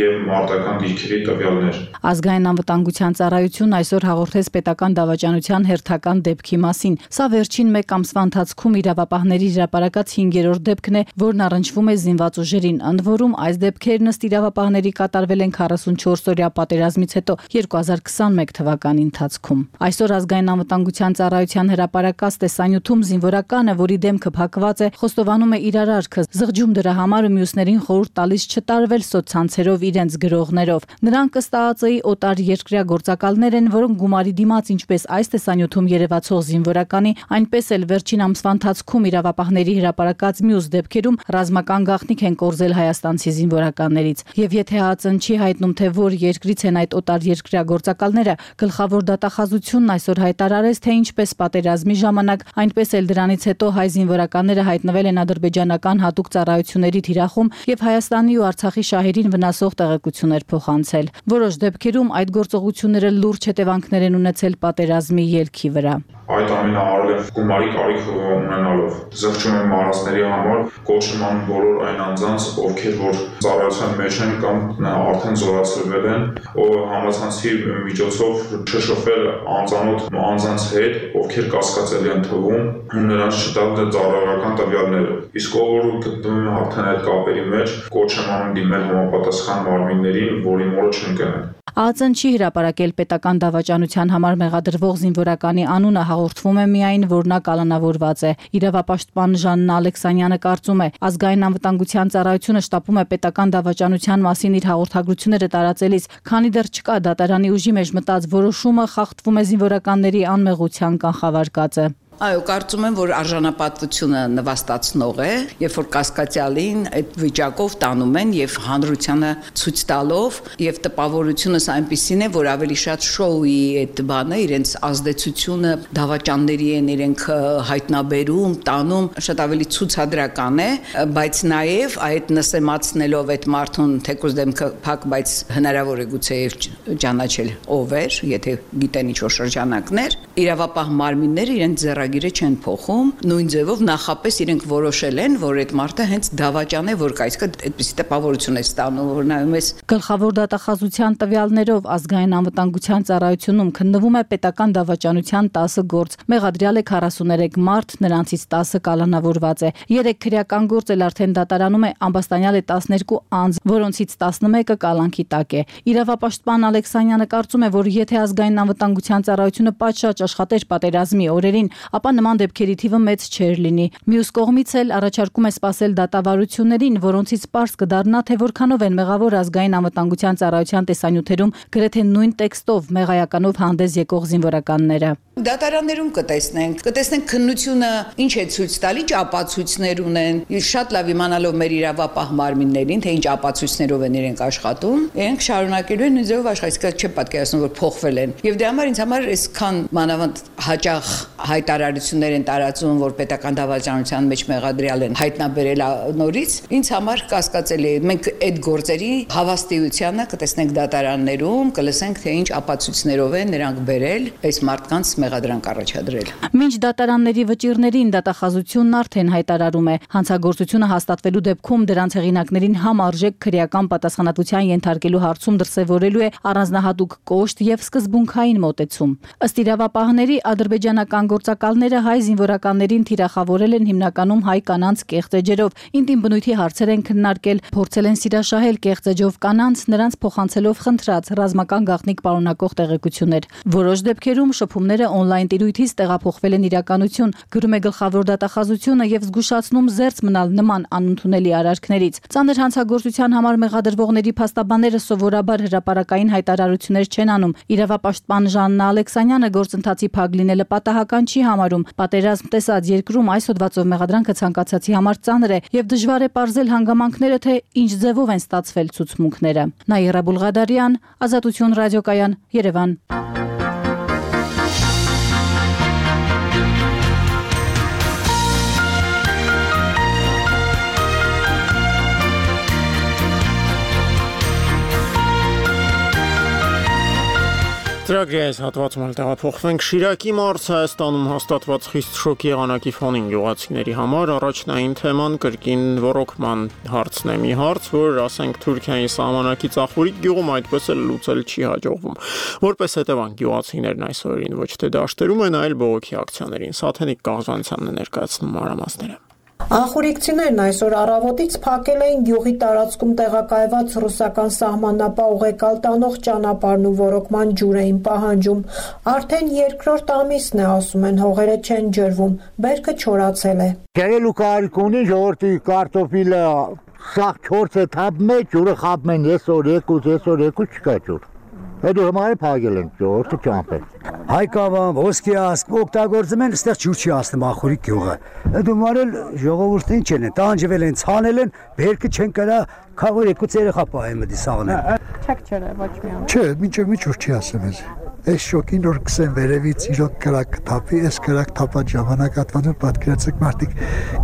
եւ մարտական դիրքերի տվյալներ։ Ազգային անվտանգության ծառայությունն այսօր հաղորդեց պետական դավաճանության հերթական դեպքի մասին։ Սա վերջին 1 ամսվա ընթացքում իրավապահների հրապարակած 5-րդ դեպքն է, որն առնչվում է զինված ուժերին, ընդ որում այս դեպքերն ըստ իրավապահների կատարվել են 44-օրյա պատերազմից հետո 2021 թվականի ընթացքում։ Այսօր ազգային անվտանգության ծառայության հրապարակած տեսանյութում զինվորականը, որի դեմքը փակված է, խոստովանում է իր արարքը, զղջում դրա համար ու մյուսներին խորհուրդ տալիս չտարվել սոցցանցերով իրենց գրողներով։ Նրանք ըստ ԱԱԾ-ի օտար երկրյա գործակալներ են, որոնք գումարի դիմաց ինչպես այս տեսանյութում երևացող զինվորականի, այնպես էլ վերջին ամսվա ընթացքում իրավապահների հրապարակած մյուս դեպքերում ռազմական գաղտնիք են կորզել հայաստանցի զինվորականներից։ Եվ եթե ԱԱԾ-ն չի հայտնում, թե որ երկրից են այդ օտար երկրյա գործակալները, գլխավոր դատախազությունն այսօր հայտարարեց, թե ինչպես պատերազմի ժամանակ, այնպես էլ դրանից հետո հայ զինվորականները հայտնվել են ադրբեջանական հատուկ ծառայությունների թիրախում եւ Հայաստանի ու Արցախի շահերին վնասող տեղեկություններ փոխանցել։ Որոշ դեպքերում այդ գործողությունները լուրջ հետևանքներ են ունեցել պատերազմի ելքի վրա։ Այդ ամենը արել եմ գումարի կարիք ունենալով։ Զղջում եմ մարզների համար, կոչում եմ բոլոր այն անձանց, ովքեր որ ծառայության մեջ են կամ արդեն զորացրվել են, ով համացանցի միջոցով չշփվել անծանոթ անձանց հետ, ովքեր կասկածելի են թվում, ու նրանց չտալ ծառայական տվյալները։ Իսկ ով որ գտնվում է արդեն այդ կապերի մեջ, կոչում եմ դիմել համապատասխան մարմիններին, որի մորը չընկնեն։ ԱԱԾ-ն չի հրապարակել պետական դավաճանության համար մեղադրվող զինվորականի անունը, հաղորդվում է միայն, որ նա կալանավորված է։ Իրավապաշտպան Ժաննա Ալեքսանյանը կարծում է, ազգային անվտանգության ծառայությունը շտապում է պետական դավաճանության մասին իր հաղորդագրությունները տարածելիս, քանի դեռ չկա դատարանի ուժի մեջ մտած որոշումը, խախտվում է զինվորականների անմեղության կանխավարկածը։ Այո, կարծում եմ, որ արժանապատվությունը նվաստացնող է, երբ որ կասկածյալին այդ վիճակով տանում են եւ հանրությանը ցույց տալով եւ տպավորությունս այնպիսին է, որ ավելի շատ շոուի այդ բանը, իրենց ազդեցությունը դավաճանների են իրենք հայտնաբերում, տանում, շատ ավելի ցուցադրական է, բայց նաեւ այդ նսեմացնելով այդ մարդուն թեկուզ դեմքը փակ, բայց հնարավոր է գուցե ճանաչել ով էր, եթե գիտեն ինչ-որ շրջանակներ, իրավապահ մարմինները իրենց գիրը չեն փոխում, նույն ձևով նախապես իրենք որոշել են, որ այդ մարդը հենց դավաճան է, որ կայսկը այդպիսի տպավորություն է ստանում, որ նայում ես։ Գլխավոր դատախազության տվյալներով ազգային անվտանգության ծառայությունում քննվում է պետական դավաճանության 10 գործ, մեղադրյալ է 43 մարդ, նրանցից 10-ը կալանավորված է։ 3 քրեական գործ էլ արդեն դատարանում է, ամբաստանյալ է 12 անձ, որոնցից 11-ը կալանքի տակ է։ Իրավապաշտպան Ալեքսանյանը կարծում է, որ եթե ազգային անվտանգության ծառայությունը պատշաճ աշխատեր պատերազմի օրերին, ապա նման դեպքերի թիվը մեծ չէր լինի։ Մյուս կողմից էլ առաջարկում է սպասել դատավարություններին, որոնցից պարզ կդառնա, թե որքանով են մեղավոր ազգային անվտանգության ծառայության տեսանյութերում գրեթե նույն տեքստով մեղայականով հանդես եկող զինվորականները։ Դատարաններում կտեսնենք քննությունը ինչ է ցույց տալի, ինչ ապացույցներ ունեն։ Շատ լավ իմանալով մեր իրավապահ մարմիններին, թե ինչ ապացույցներով են իրենք աշխատում, իրենք շարունակելու են ձևով աշխատել, չէ՞ պատկերացնում, որ փոխվել են։ Եվ դրա համար ինձ համար այսքան մանավանդ հաճախ հայտարարություններ են տարածում, որ պետական դավաճանության մեջ մեղադրյալ են հայտնաբերել նորից, ինձ համար կասկածելի է։ Մենք այդ գործերի հավաստիությանը կտեսնենք դատարաններում, կլսենք, թե ինչ ապացույցներով են նրանք բերել այս մարդկանց մեղադրանք առաջադրել։ Մինչ դատարանների վճիռներին դատախազությունն արդեն հայտարարում է, հանցագործությունը հաստատվելու դեպքում դրանց հեղինակներին համարժեք քրեական պատասխանատվության ենթարկելու հարցում դրսևորելու է առանձնահատուկ կոշտ եւ սկզբունքային մոտեցում։ Ըստ իրավապահների ադրբեջանական գործակալները հայ զինվորականներին թիրախավորել են հիմնականում հայ կանանց կեղծ էջերով, ինտիմ բնույթի հարցեր են քննարկել, փորձել են սիրաշահել կեղծ էջով կանանց, նրանց փոխանցելով խնդրած ռազմական գաղտնիք պարունակող տեղեկություններ։ Որոշ դեպքերում շփումները օնլայն տիրույթից տեղափոխվել են իրականություն, գրում է գլխավոր դատախազությունը եւ զգուշացնում զերծ մնալ նման անընդունելի արարքներից։ Ծանր հանցագործության համար մեղադրվողների փաստաբանները սովորաբար հրապարակային հայտարարություններ չեն անում։ Իրավապաշտպան Ժաննա Ալեքսանյանը գործընթացի փակ լինելը պատահական չի համարում։ Պատերազմ տեսած երկրում այս հոդվածով մեղադրանքը ցանկացածի համար ծանր է եւ դժվար է պարզել հանգամանքները, թե ինչ ձևով են ստացվել ցուցմունքները։ Նաիրա Բուլղադարյան, Ազատություն ռադիոկայան, Երևան։ Ծրագրի այս հատվածում տեղափոխվենք Շիրակի մարզ Հայաստանում հաստատված խիստ շոկի եղանակի ֆոնին գյուղացիների համար առաջնային թեման կրկին ռոռոկման հարցն է, մի հարց, որ ասենք Թուրքիայի սահմանակից Ախուրիկ գյուղում այդպես էլ լուծել չի հաջողվում։ Որպես հետևանք գյուղացիներն այս օրերին ոչ թե դաշտերում են, այլ բողոքի ակցիաներին։ Սաթենիկ Կաղզանցյանն է ներկայացնում մանրամասները։ Ախուրիկցիներն այսօր առավոտից փակել էին գյուղի տարածքում տեղակայված ռուսական սահմանապահ ուղեկալ տանող ճանապարհն ու ռոռոկման ջուր էին պահանջում։ Արդեն երկրորդ ամիսն է, ասում են, հողերը չեն ջրվում, բերքը չորացել է։ Գերելու կարիք ունի ժողովրդի կարտոֆիլը սաղ 4 թափում է, ջուրը խաբում են այսօր 2 չկա ջուր։ Հետո հիմա փակել են ժողովրդը ճամփել։ Հայկավան, ոսկիասկ օգտագործում են, այստեղ ջուր չի հասնում Ախուրիկ գյուղը։ Հետո մարել ժողովուրդը ինչ են, տանջվել են, ցանել են, բերքը չեն կարա քաղոր 2 երեխա պահեմ դի սաղն։ Չեք ջրել ոչ մի անգամ։ Չէ, մինչև մի ջուր չի ասում ես։ Այս շոկին որ կսեն վերևից իրոք կրակ թափի, այս կրակ թափած ժամանակ հատվածում պատկերացեք մարդիկ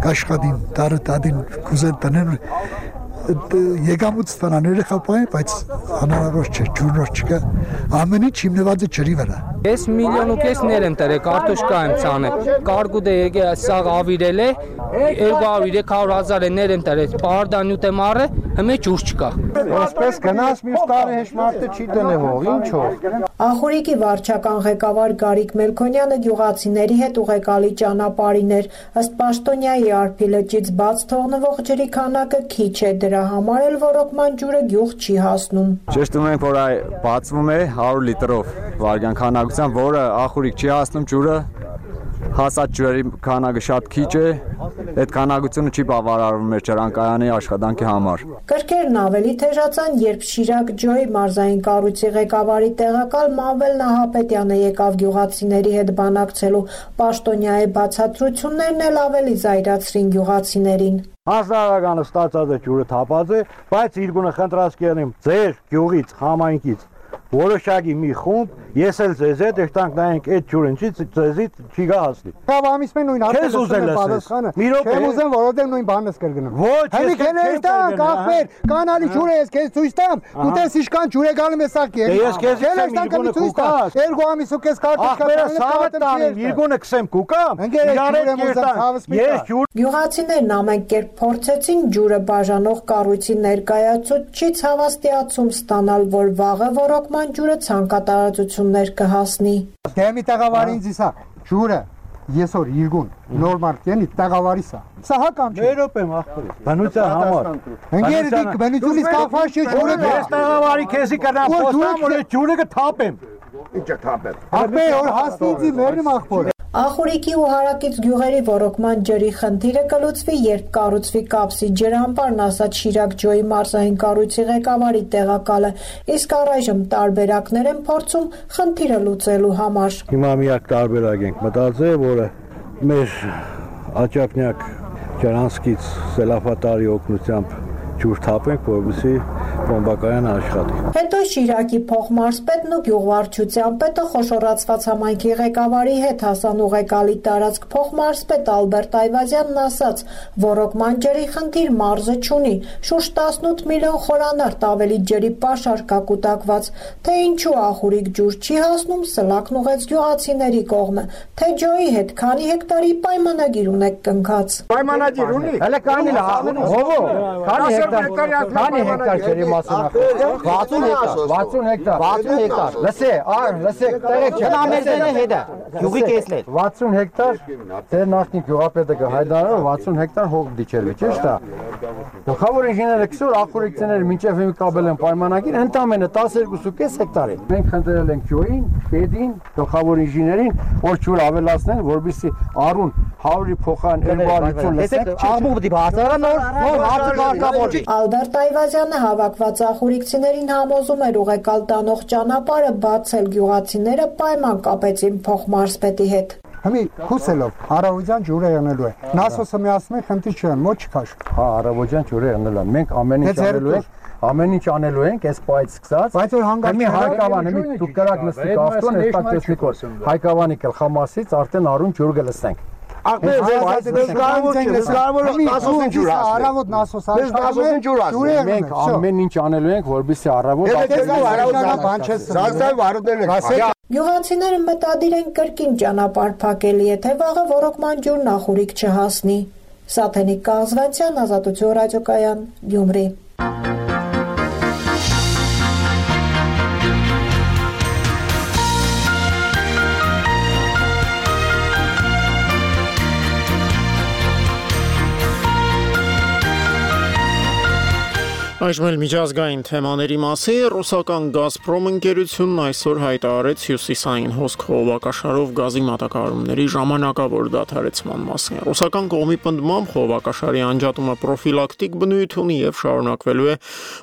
կաշխատին, տարը տադին կուզեն տնեն Եկամուտ ստանան երեխապային, բայց հնարավոր չէ, ջուրնոր չկա, ամեն ինչ հիմնված է ջրի վրա։ Ես 1.5 միլիոն եմ տրել, կարտոշկա եմ ցանել, կարգուտ է եկել, սաղ ավիրել է, 200-300 ներ եմ տրել, պարդանյուտ եմ առել, հիմա ջուր չկա։ Այսպես գնաս մյուս տարի հեշ մարդը չի դնե հող, ինչով։ Ախուրիկի վարչական ղեկավար Գարիկ Մելքոնյանը գյուղացիների հետ ուղեկալի ճանապարհին էր, ըստ պաշտոնյայի Արփի լճից բաց թողնվող ջրի քանակը քիչ է, դրա համար էլ ռոռոկման ջուրը գյուղ չի հասնում։ Ճշտում ենք, որ բացվում է 100 լիտրով վարկյան քանակությամբ, որը Ախուրիկ չի հասնում ջուրը, հասած ջրերի քանակը շատ քիչ է, այդ քանակությունը չի բավարարվում մեր ջրանկայանի աշխատանքի համար։ Կրկերն ավելի թեժացան, երբ Շիրակ ջոյի մարզային կառույցի ղեկավարի տեղակալ Մավել Նահապետյանը եկավ գյուղացիների հետ բանակցելու, պաշտոնյայի բացատրություններն էլ ավելի զայրացրին գյուղացիներին։ Հասարականը ստացած է ջուրը թափած է, բայց իրգունը խնդրած կերնեմ ձեր գյուղից, համայնքից որոշակի մի խումբ, ես էլ ձեզ հետ եկտանք նայենք այդ ջուրը ինչի ձեզից չի գա հասնի։ Կավամիս մեն նույն հարցը պատասխանը։ Չեմ ուզեմ, որովհետև նույն բանն ես կրգնում։ Ոչ, ես քեզ կախվեր, կանալի ջուրը ես քեզ ցույց տամ, դու տես իշքան ջուր է գալու ես սակի։ Ես քեզ ցույց տամ։ Երկու ամիս ու քեզ կարտոշկա իրգունը քսեմ կուկամ։ Ես ջուր։ Գյուղացիներն ամեն կերպ փորձեցին ջուրը բաժանող կառույցի ներկայացուցիչից հավաստիացում ստանալ, որ վաղը ռոռոկման ջուրը ցանկատարածություններ կհասնի։ Դեմի տաղավարի ինձ իսա ջուրը եսօր իրգուն նորմալ կենի տաղավարի սա։ Սա հակամ չէ։ Երբ եմ ախորի։ Բնության համար։ Ընկեր դիք բնությունից կախված չէ ջուրը։ Ես տաղավարի քեզի կնամ խոստամ, որ ջուրը կթափեմ։ Ինչ թափեմ։ Ապե որ հասնիցի մերնի ախորը։ Ախուրիկի ու հարակից գյուղերի ռոռոկման ջրի խնդիրը կլուծվի, երբ կառուցվի կապսի ջրամբարն, ասաց Շիրակ ջոյի մարզային կառույցի ղեկավարի տեղակալը, իսկ առայժմ տարբերակներ են փորձում խնդիրը լուծելու համար։ Հիմա միակ տարբերակ ենք մտածել, որը մեր աճապնյակ ջրանցքից սելավատարի օգնությամբ ջուր թափենք, որովհետեւ բոմբակայանը աշխատի։ Հետո Շիրակի փոխմարզպետն ու գյուղվարչության պետը խոշորացված համայնքի ղեկավարի հետ հասան ուղեկալի տարածք փոխմարզպետ Ալբերտ Այվազյանն ասաց, ռոռոկման ջրի խնդիր մարզը չունի, շուրջ 18 միլիոն խորանարդ ավելի ջրի պաշար կա կուտակված, թե ինչու Ախուրիկ ջուր չի հասնում, սլակն ուղեց գյուղացիների կողմը, թե ջոյի հետ քանի հեկտարի պայմանագիր ունեք կնքած։ Պայմանագիր ունի։ Հələ քանի հովո, քանի հեկտար ջրի մասնակցություն 60 հեկտար լսե տեղեք չէ ամերիկը հետա յուղի կեսլեր 60 հեկտար դեր նախնի գյուղապետը կհայտարարը 60 հեկտար հող դիչերվի ճիշտ է գլխավոր ինժեները քսուր ախորիկցիները մինչև հիմա կապել են պայմանագիր ընդամենը 12.5 հեկտար է մենք խնդրել ենք ջոյին պետին գլխավոր ինժեներին որ ջուր ավելացնեն որովհետեւ առուն 100-ի փոխան 250 լսեք աղմուկ դի բարձրան նոր հարցը կարգավորի Ալբերտ Այվազյանը հավաքված ախուրիկցիներին համոզում էր ուղեկալ տանող ճանապարհը բացել, գյուղացիները պայման կապեցին փոխմարզպետի հետ։ Հիմի քուսելով Արավոջան ջուրը եղնելու է։ Նասոսը միացնում է խնդիր չեն, ոչ չքաշ։ Հա, Արավոջան ջուրը եղնելու է։ Մենք ամեն ինչ անելու ենք, այս պայից սկսած։ Բայց որ հանգարց Հայկավան, հիմի դուք կրակ նստիկ ավտոն, այս պատեսնիկով։ Հայկավանի գլխամասից արդեն առուն ջուր կլսենք։ Առավոտ նասոսարշտարում մենք ամեն ինչ անելու ենք, որպեսզի առավոտ Գյուղացիները մտադիր են կրկին ճանապարհ փակել, եթե վաղը ոռոգման ջուրն ախուրիկ չհասնի։ Սաթենիկ Կազվանցյան, Ազատություն ռադիոկայան, Գյումրի։ Այժմ էլ միջազգային թեմաների մասին ռուսական «Գազպրոմ» ընկերությունն այսօր հայտարարեց հյուսիսային հոսք խողովակաշարով գազի մատակարարումների ժամանակավոր դադարեցման մասին։ Ռուսական կողմի պնդմամբ խողովակաշարի անջատումը պրոֆիլակտիկ բնույթ ունի եւ շարունակվելու է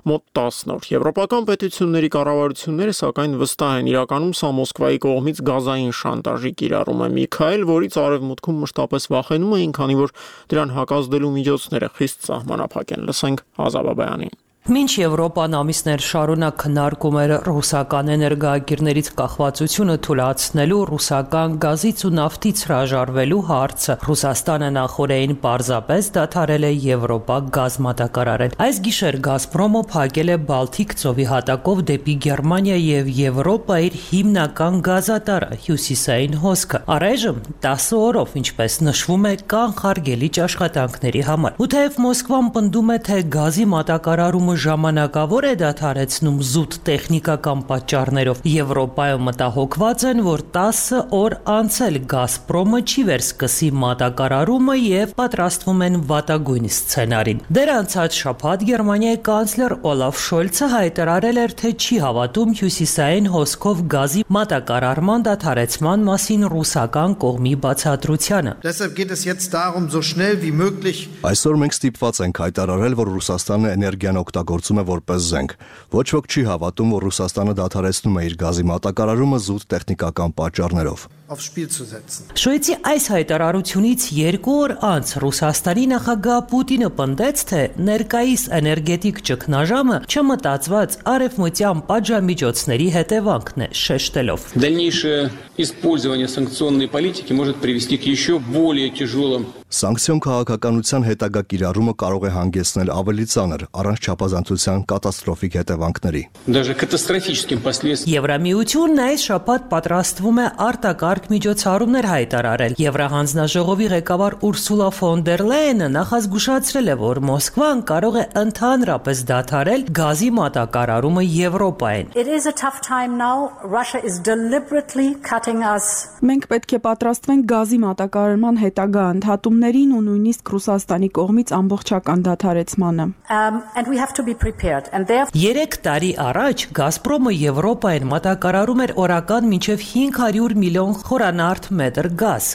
մոտ 10 օր։ Եվրոպական պետությունների կառավարությունները սակայն վստահ են, իրականում սա Մոսկվայի կողմից գազային շանտաժի կիրառում է մի քայլ, որից արևմուտքում մշտապես վախենում էին, քանի որ դրան հակազդելու միջոցները խիստ սահմանափակ են։ Լսենք Ազաբաբյանին։ Մինչ Եվրոպան ամիսներ շարունակ քննարկում էր ռուսական էներգոագիրներից կախվածությունը թույլատնելու ռուսական գազից ու նավթից հրաժարվելու հարցը, Ռուսաստանը նախօրեին պարզապես դադարել է Եվրոպա գազ մատակարարել։ Այս գիշեր «Գազպրոմը» փակել է Բալթիկ ծովի հատակով դեպի Գերմանիա եւ Եվրոպա իր հիմնական գազատարը՝ հյուսիսային հոսքը։ Առայժմ 10 օրով, ինչպես նշվում է, կանխարգելիչ աշխատանքների համար։ Ու թեև Մոսկվան պնդում է, թե գազի մատակարարումը ժամանակավոր է դադարեցնում զուտ տեխնիկական պատճառներով, Եվրոպայում մտահոգված են, որ 10 օր անցել «Գազպրոմը» չի վերսկսի մատակարարումը եւ պատրաստվում են վատագույն սցենարին։ Դեռ անցած շաբաթ Գերմանիայի կանցլեր Օլաֆ Շոլցը հայտարարել էր, թե չի հավատում հյուսիսային հոսքով գազի մատակարարման դադարեցման մասին ռուսական կողմի բացատրությանը։ Այսօր մենք ստիպված ենք հայտարարել, որ Ռուսաստանը էներգիան գործում է որպես զենք։ Ոչ ոք չի հավատում, որ Ռուսաստանը դադարեցնում է իր գազի մատակարարումը զուտ տեխնիկական պատճառներով։ Շոյցի այս հայտարարությունից 2 օր անց Ռուսաստանի նախագահ Պուտինը պնդեց, թե ներկայիս էներգետիկ ճգնաժամը չմտածված արևմտյան պատժամիջոցների հետևանքն է, շեշտելով. Дальнейшее использование санкционной политики может привести к еще более тяжелым Սանկցիոն քաղաքականության հետագա կիրառումը կարող է հանգեցնել ավելի ծանր, առանց չափազանցության կատաստրոֆիկ հետևանքների։ Եվրամիությունն այս շաբաթ պատրաստվում է արտակարգ միջոցառումներ հայտարարել։ Եվրահանձնաժողովի ղեկավար Ուրսուլա ֆոն դեր Լայենը նախազգուշացրել է, որ Մոսկվան կարող է ընդհանրապես դադարել գազի մատակարարումը Եվրոպային։ Մենք պետք է պատրաստվենք գազի մատակարարման հետագա ընդհատումներին ու նույնիսկ Ռուսաստանի կողմից ամբողջական դադարեցմանը։ 3 տարի առաջ «Գազպրոմը» Եվրոպային մատակարարում էր օրական մինչև 500 միլիոն խորանարդ մետր գազ։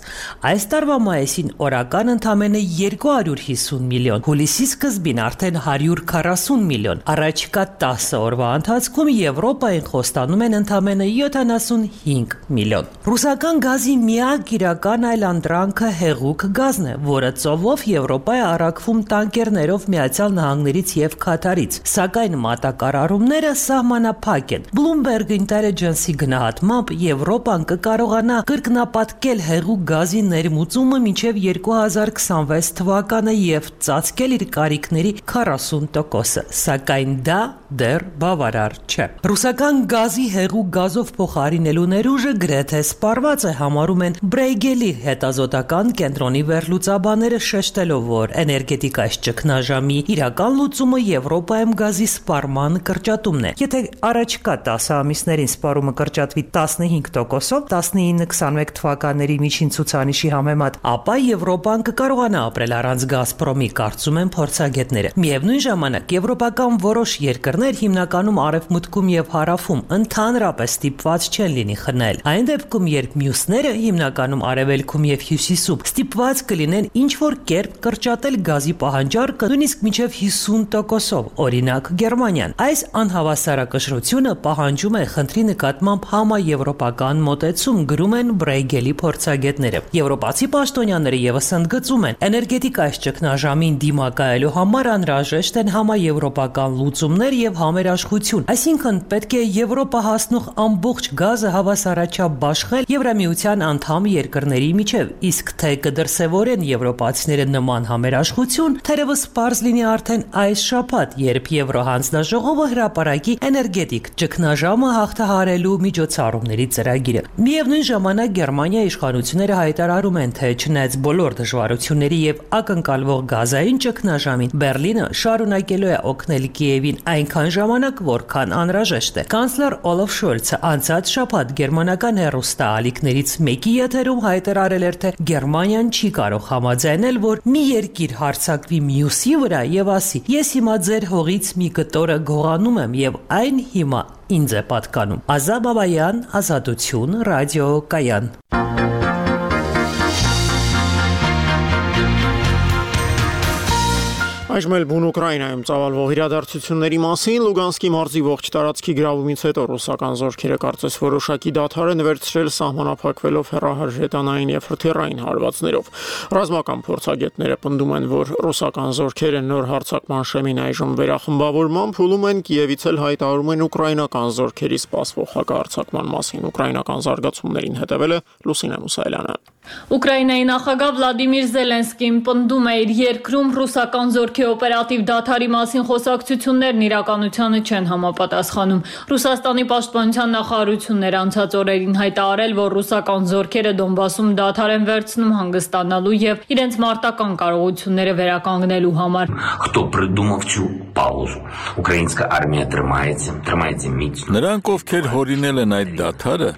Այս տարվա մայիսին օրական ընդամենը 250 միլիոն, հուլիսի սկզբին արդեն 140 միլիոն։ Առաջիկա 10 օրվա ընթացքում Եվրոպային խոստանում են ընդամենը 75 միլիոն։ Ռուսական գազի միակ իրական այլանդրանքը հեղուկ գազն է, որը ծովով Եվրոպա է առաքվում տանկերներով Միացյալ Նահանգներից եւ Քաթարից, սակայն մատակարարումները սահմանափակ են։ Bloomberg Intelligence-ի գնահատմամբ Եվրոպան կկարողանա կրկնապատկել հեղուկ գազի ներմուծումը մինչև 2026 թվականը եւ ծածկել իր կարիքների 40%-ը, սակայն դա դեռ բավարար չէ։ Ռուսական գազի հեղուկ գազով փոխարինելու ներուժը գրեթե սպառված է, համարում են Բրեյգելի հետազոտական կենտրոնի վերլուծաբաները, շեշտելով, որ էներգետիկայի ճգնաժամի իրական լուծումը Եվրոպայում գազի սպառման կրճատումն է։ Եթե առաջկա 10 ամիսներին սպառումը կրճատվի 15%-ով 19-21 թվականների միջին ցուցանիշի համեմատ, ապա Եվրոպան կկարողանա ապրել առանց «Գազպրոմի», կարծում են փորձագետները։ Միևնույն ժամանակ եվրոպական որոշ երկրներ, հիմնականում արևմուտքում եւ հարավում, ընդհանրապես ստիպված չեն լինի խնել։ Այն դեպքում, երբ մյուսները, հիմնականում արևելքում եւ հյուսիսում, ստիպված կլինեն ինչ-որ կերպ կրճատել գազի պահանջարկը նույնիսկ մինչև 50%-ով, օրինակ Գերմանիան։ Այս անհավասարակշռությունը պահանջում է խնդրի նկատմամբ համաեվրոպական մոտեցում, գրում է են Բրեյգելի փորձագետները։ Եվրոպացի պաշտոնյաները եւս ընդգծում են, էներգետիկայի ճգնաժամին դիմակայելու համար անհրաժեշտ են համաեվրոպական լուծումներ եւ համերաշխություն, այսինքն պետք է Եվրոպա հասնող ամբողջ գազը հավասարաչափ բաշխել Եվրամիության անդամ երկրների միջև, իսկ թե կդրսևորեն եվրոպացիները նման համերաշխություն, թերևս պարզ լինի արդեն այս շաբաթ, երբ Եվրոհանձնաժողովը հրապարակի էներգետիկ ճգնաժամը հաղթահարելու միջոցառումների ծրագիրը։ Միևնույն ժամանակ Գերմանիայի իշխանությունները հայտարարում են, թե չնայած բոլոր դժվարությունների եւ ակնկալվող գազային ճգնաժամին, Բերլինը շարունակելու է օգնել Կիևին այնքան ժամանակ, որքան անհրաժեշտ է։ Կանցլեր Օլաֆ Շոլցը անցած շաբաթ գերմանական հեռուստաալիքներից մեկի եթերում հայտարարել էր, թե Գերմանիան չի կարող համաձայնել, որ մի երկիր հարձակվի մյուսի վրա եւ ասի. «Ես հիմա ձեր հողից մի կտորը գողանում եմ եւ այն հիմա ինձ է պատկանում»։ Ազատ Բաբայան, Ազատություն, Ռադիո Կայան։ Այժմ էլ բուն Ուկրաինայում ծավալվող իրադարձությունների մասին Լուգանսկի մարզի ողջ տարածքի գրավումից հետո ռուսական զորքերը կարծես որոշակի դադար են վերցրել սահմանափակվելով հեռահարժետանային եւ հրթիռային հարվածներով։ Ռազմական փորձագետները պնդում են, որ ռուսական զորքերը նոր հարձակման շեմին այժմ վերախմբավորման փուլում են, Կիևից էլ հայտարարում են ուկրաինական զորքերի սպասվող հակահարձակման մասին։ Ուկրաինական զարգացումներին հետևել է Լուսինե Մուսայելյանը։ Ուկրաինայի նախագահ Վլադիմիր Զելենսկին պնդում է, իր երկրում ռուսական զորքի օպերատիվ դադարի մասին խոսակցություններն իրականությանը չեն համապատասխանում։ Ռուսաստանի պաշտպանության նախարարությունն անցած օրերին հայտարարել, որ ռուսական զորքերը Դոնբասում դադար են վերցնում հանգստանալու եւ իրենց մարտական կարողությունները վերականգնելու համար։ Хто придумав цю паузу? Українська армія тримається міцно. Նրանք, ովքեր հորինել են այդ դադարը,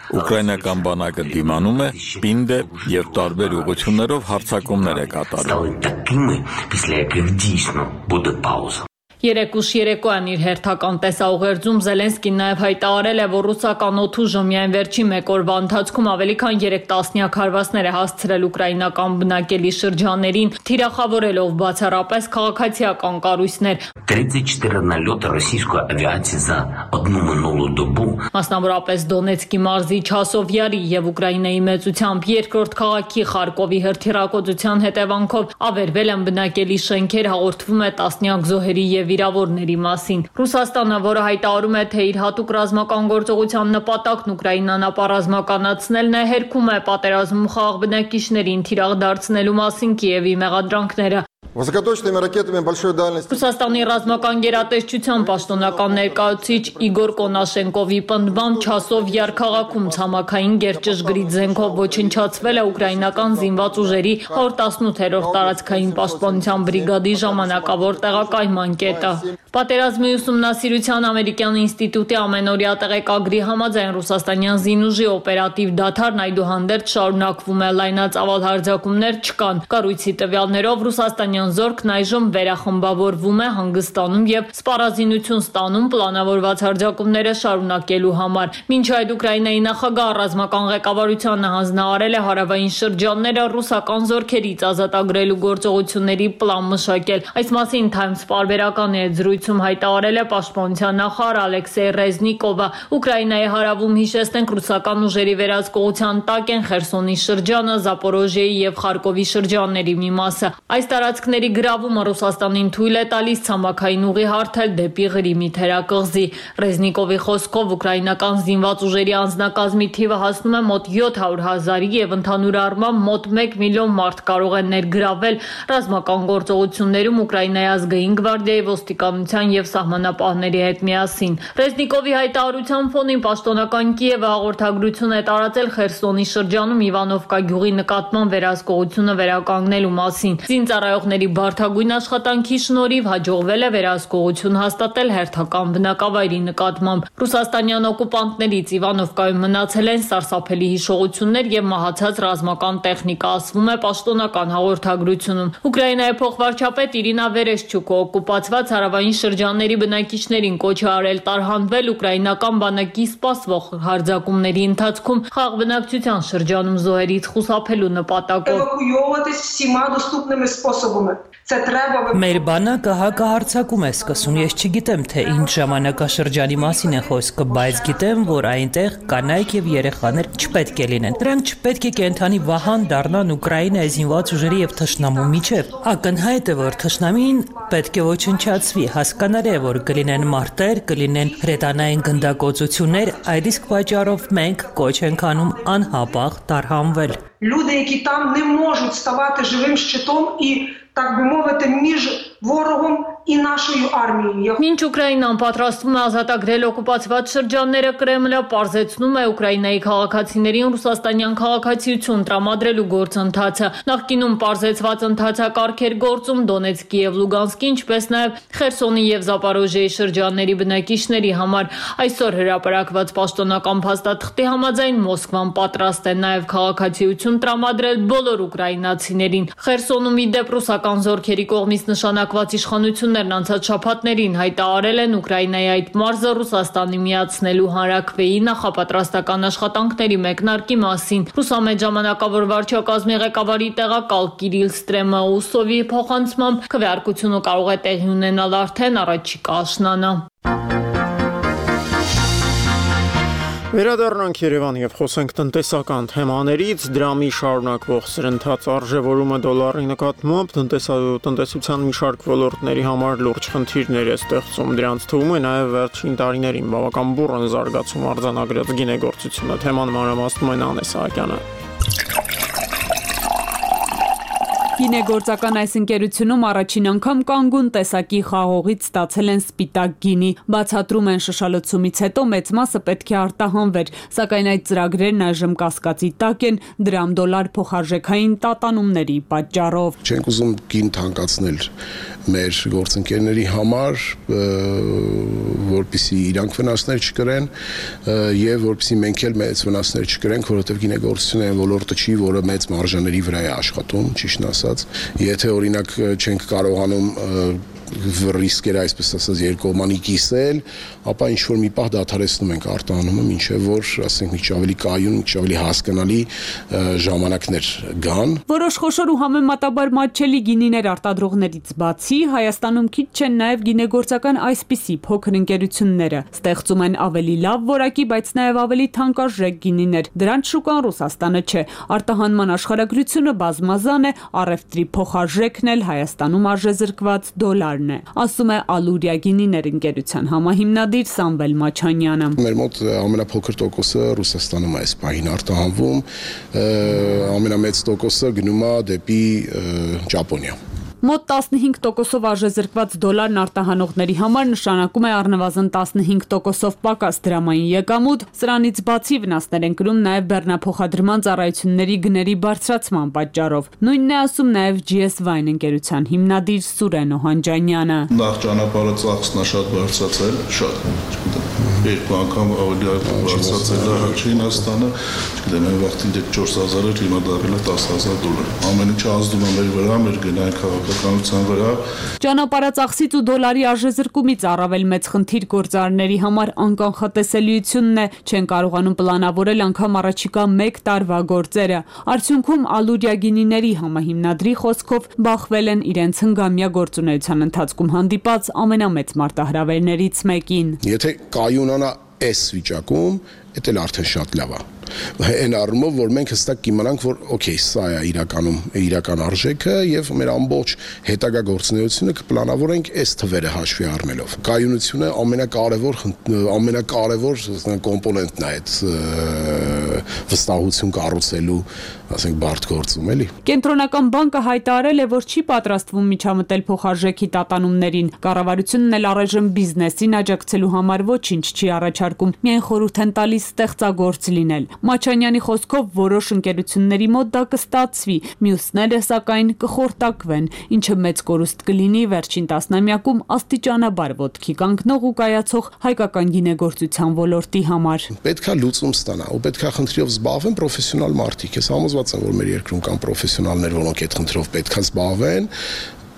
ուկրաինական բանակը դիմանում է, պինդ է եւ տարբեր ուղղություններով հարձակումներ է կատարում։ Такими, після яких дійсно буде пауза. Երեկուշ երեկոյան իր հերթական տեսաուղերձում Զելենսկին նաև հայտարարել է, որ ռուսական օդուժը միայն վերջին մեկ օրվա ընթացքում ավելի քան 3 տասնյակ հարվածներ է հասցրել ուկրաինական բնակելի շրջաններին, թիրախավորելով բացառապես քաղաքացիական կառույցներ։ 34 нальоти російської авіації за одну минулу добу. Մասնավորապես Դոնեցկի մարզի Չասովյարի եւ Ուկրաինայի մեծությամբ երկրորդ քաղաքի Խարկովի հրթիռակոծության հետևանքով ավերվել են բնակելի շենքեր, հաղորդվում է տասնյակ զոհերի եւ վիրավորների մասին։ Ռուսաստանը, որը հայտարարում է, թե իր հատուկ ռազմական գործողության նպատակն Ուկրաինան ապառազմականացնելն է, հերքում է պատերազմում խաղաղ բնակիչներին թիրախ դարձնելու մասին Կիևի մեղադրանքները։ Высокоточными ракетами большой дальности. Ռուսաստանի ռազմական գերատեսչության պաշտոնական ներկայացուցիչ Իգոր Կոնաշենկովի պնդմամբ Չասովյար քաղաքում ցամաքային գերճշգրիտ զենքով ոչնչացվել է ուկրաինական զինված ուժերի 118-րդ տարածքային պաշտպանության բրիգադի ժամանակավոր տեղակայման կետը։ Պատերազմի ուսումնասիրության ամերիկյան ինստիտուտի ամենօրյա տեղեկագրի համաձայն ռուսաստանյան զինուժի օպերատիվ դադարն այդուհանդերձ շարունակվում է, լայնածավալ հարձակումներ չկան։ Կառույցի տվյալներով ռուսաստանյան զորքն այժմ վերախմբավորվում է հանգստանում եւ սպառազինություն ստանում պլանավորված հարձակումները շարունակելու համար։ Մինչ այդ Ուկրաինայի նախագահ ռազմական ղեկավարությանը հանձնարարել է հարավային շրջանները ռուսական զորքերից ազատագրելու գործողությունների պլան մշակել։ Այս մասին Times պարբերական զրույցում հայտարարել է պաշտպանության նախարար Ալեքսեյ Ռեզնիկովը։ Ուկրաինայի հարավում հիշեցնենք ռուսական ուժերի վերահսկողության տակ են Խերսոնի շրջանը, Զապորոժիեի եւ Խարկովի շրջանների մի մասը։ Այս տարածքների գրավումը Ռուսաստանին թույլ է տալիս ցամաքային ուղի հարթել դեպի Ղրիմի թերակղզի։ Ռեզնիկովի խոսքով ուկրաինական զինված ուժերի անձնակազմի թիվը հասնում է մոտ 700,000-ի եւ ընդհանուր առմամբ մոտ 1 միլիոն մարդ կարող են ներգրավել ռազմական գործողություններում Ուկրաինայի ազգային գվարդիայի ոստիկանության եւ սահմանապահների հետ միասին։ Ռեզնիկովի հայտարարության ֆոնին պաշտոնական Կիևը հաղորդագրություն է տարածել Խերսոնի շրջանում Իվանովկա գյուղի նկատմամբ վերահսկողությունը վերականգնելու մասին։ Զինծառայողների բարդագույն աշխատանքի շնորհիվ հաջողվել է վերահսկողություն հաստատել հերթական բնակավայրի նկատմամբ։ Ռուսաստանյան օկուպանտներից Իվանովկայում մնացել են սարսափելի հիշողություններ եւ մահացած ռազմական տեխնիկա, ասվում է պաշտոնական հաղորդագրությունում։ Ուկրաինայի փոխվարչապետ Իրինա Վերեշչուկը օկուպացված հարավային շրջանների բնակիչներին կոչ է արել տարհանվել ուկրաինական բանակի սպասվող հարձակումների ընթացքում խաղաղ բնակչության շրջանում զոհերից խուսափելու նպատակով։ Մեր բանակը հակահարձակում է սկսում, ես չգիտեմ, թե ինչ ժամանակաշրջանի մասին է խոսքը, բայց գիտեմ, որ այնտեղ կանայք եւ երեխաներ չպետք է լինեն։ Դրանք չպետք է կենդանի վահան դառնան Ուկրաինայի զինված ուժերի եւ թշնամու միջև։ Ակնհայտ է, որ թշնամին պետք է ոչնչացվի, հասկանալի է, որ կլինեն մարտեր, կլինեն հրետանային գնդակոծություններ, այդ իսկ պատճառով մենք կոչ ենք անում անհապաղ տարհանվել։ Люди, які там не можуть ставати живим щитом і, так би мовити, між ворогом і нашою армією. Մինչ Ուկրաինան պատրաստվում է ազատագրել օկուպացված շրջանները, Կրեմլը պարզեցնում է Ուկրաինայի քաղաքացիներին ռուսաստանյան քաղաքացիություն տրամադրելու գործընթացը։ Նախկինում պարզեցված ընթացակարգ էր գործում Դոնեցկի եւ Լուգանսկի, ինչպես նաեւ Խերսոնի եւ Զապորոժիեի շրջանների բնակիչների համար։ Այսօր հրապարակված պաշտոնական փաստաթղթի համաձայն Մոսկվան պատրաստ է նաեւ քաղաքացիություն տրամադրել բոլոր ուկրաինացիներին։ Խերսոնում իդեպ ռուսական զորքերի կողմից նշանակված իշխանություններն անցած շաբաթներին հայտարարել են Ուկրաինայի այդ մարզը Ռուսաստանի միացնելու հանրաքվեի նախապատրաստական աշխատանքների մեկնարկի մասին։ Ռուսամետ ժամանակավոր վարչակազմի ղեկավարի տեղակալ Կիրիլ Ստրեմաուսովի փոխանցմամբ քվեարկությունը կարող է տեղի ունենալ արդեն առաջիկա աշնանը։ Վերադառնանք Երևան եւ խոսենք տնտեսական թեմաներից։ Դրամի շարունակվող սրընթաց արժևորումը դոլարի նկատմամբ տնտեսության մի շարք ոլորտների համար լուրջ խնդիրներ է ստեղծում։ Դրանց թվում է նաեւ վերջին տարիներին բավական բուռն զարգացում արձանագրած գինեգործությունը։ Թեման մանրամասնում է Անե Սահակյանը։ Գինեգործական այս ընկերությունում առաջին անգամ կանգուն տեսակի խաղողից ստացել են սպիտակ գինի։ Բացատրում են շշալցումից հետո մեծ մասը պետք է արտահանվեր, սակայն այդ ծրագրերն այժմ կասկածի տակ են դրամ-դոլար փոխարժեքային տատանումների պատճառով։ Չենք ուզում գին թանկացնել մեր գործընկերների համար, որպեսզի իրանք վնասներ չկրեն եւ որպեսզի մենք էլ մեծ վնասներ չկրենք, որովհետեւ գինեգործությունը ոլորտը չի, որը մեծ մարժաների վրա է աշխատում, ճիշտ ասած, եթե օրինակ չենք կարողանում ռիսկերը այսպես ասած երկկողմանի կիսել, ապա ինչ որ մի պահ դադարեցնում ենք արտահանումը, մինչև որ ասենք մի քիչ ավելի կայուն, մի քիչ ավելի հասկանալի ժամանակներ գան։ Որոշ խոշոր ու համեմատաբար մատչելի գինիներ արտադրողներից բացի Հայաստանում քիչ չեն նաև գինեգործական այսպիսի փոքր ընկերությունները, ստեղծում են ավելի լավ որակի, բայց նաև ավելի թանկարժեք գինիներ։ Դրանց շուկան Ռուսաստանը չէ։ Արտահանման աշխարհագրությունը բազմազան է, առևտրի փոխարժեքն էլ Հայաստանում արժեզրկված դոլար ասում է Ալուրիա գինիներ ընկերության համահիմնադիր Սամվել Մաչանյանը։ Մեր մոտ ամենափոքր տոկոսը Ռուսաստանում է այս պահին արտահանվում, ամենամեծ տոկոսը գնում է դեպի Ճապոնիա։ Մոտ 15%-ով արժեզրկված դոլարն արտահանողների համար նշանակում է առնվազն 15%-ով պակաս դրամային եկամուտ, սրանից բացի վնասներ են կրում նաև բեռնափոխադրման ծառայությունների գների բարձրացման պատճառով։ Նույնն է ասում նաև GS Wine ընկերության հիմնադիր Սուրեն Օհանջանյանը։ Նախ ճանապարհը ծախսն է շատ բարձրացել, շատ երկու անգամ ավելի բարձրացել է Չինաստանը, չգիտեմ, այն վաղտին 4000 էր, հիմա դառել է $10,000։ Ամեն ինչ ազդում է մեր վրա, մեր գնային քաղաքականության վրա։ Ճանապարհածախսից ու դոլարի արժեզրկումից առավել մեծ խնդիր գործարարների համար անկանխատեսելիությունն է, չեն կարողանում պլանավորել անգամ առաջիկա 1 տարվա գործերը։ Արդյունքում Ալուրիա գինիների համահիմնադրի խոսքով բախվել են իրենց հնգամյա գործունեության ընթացքում հանդիպած ամենամեծ մարտահրավերներից մեկին։ Եթե կայունանա այս վիճակում, դա էլ արդեն շատ լավ է։ Այն առումով, որ մենք հստակ կիմանանք, որ օքեյ, սա է իրական արժեքը եւ մեր ամբողջ հետագա գործունեությունը կպլանավորենք այս թվերը հաշվի առնելով։ Կայունությունը ամենակարևոր կոմպոնենտն է այդ վստահություն կառուցելու, ասենք, բարդ գործում, էլի։ Կենտրոնական բանկը հայտարարել է, որ չի պատրաստվում միջամտել փոխարժեքի տատանումներին։ Կառավարությունն էլ առայժմ բիզնեսին աջակցելու համար ոչինչ չի առաջարկում, միայն խորհուրդ են տալիս ստեղծագործ լինել։ Մաչանյանի խոսքով որոշ ընկերությունների մոտ դա կստացվի, մյուսները սակայն կխորտակվեն, ինչը մեծ կորուստ կլինի վերջին տասնամյակում աստիճանաբար ոտքի կանգնող ու կայացող հայկական գինեգործության ոլորտի համար։ Պետքա լուծում ստանա, ու պետքա խնդրով զբաղվեն պրոֆեսիոնալ մարդիկ։ Ես համոզված եմ, որ մեր երկրում կան պրոֆեսիոնալներ, որոնք այդ խնդրով պետքա զբաղվեն,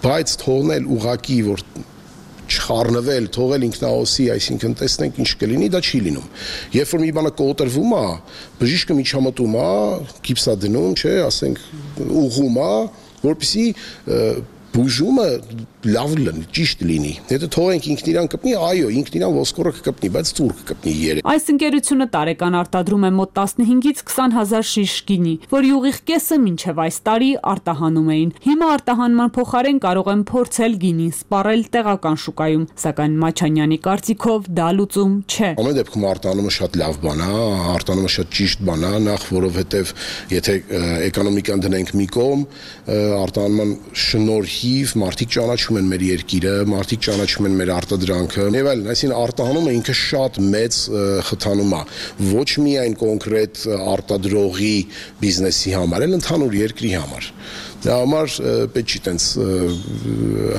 բայց թողնել ուղակի, որ չխառնվել, թողել ինքնաոսի, այսինքն տեսնենք ինչ կլինի, դա չի լինում։ Երբ որ մի բանը կոտրվում է, բժիշկը միջամտում է, գիպս է դնում, չէ, ասենք ուղղում է, որպեսզի բուժումը լավ լինի, ճիշտ լինի։ Եթե թողենք ինքն իրան կպնի, այո, ինքն իրան ոսկորը կպնի, բայց ծուր կպնի երեք։ Այս ընկերությունը տարեկան արտադրում է մոտ 15-ից 20,000 շիշ գինի, որի ուղիղ կեսը մինչև այս տարի արտահանում էին։ Հիմա արտահանման փոխարեն կարող են փորձել գինին սպառել տեղական շուկայում, սակայն Մաչանյանի կարծիքով դա լուծում չէ։ Ամեն դեպքում արտանումը շատ լավ բան է, արտանումը շատ ճիշտ բան է, նախ որովհետև եթե էկոնոմիկան դնենք մի կողմ, արտանման շնորհիվ մարդիկ ճանաչում են մեր երկիրը, մարդիկ ճանաչում են մեր արտադրանքը, եւ այլն, այսինքն արտահանումը ինքը շատ մեծ խթանում է, ոչ միայն կոնկրետ արտադրողի բիզնեսի համար, այլ ընդհանուր երկրի համար։ Դա համար պետք չի տենց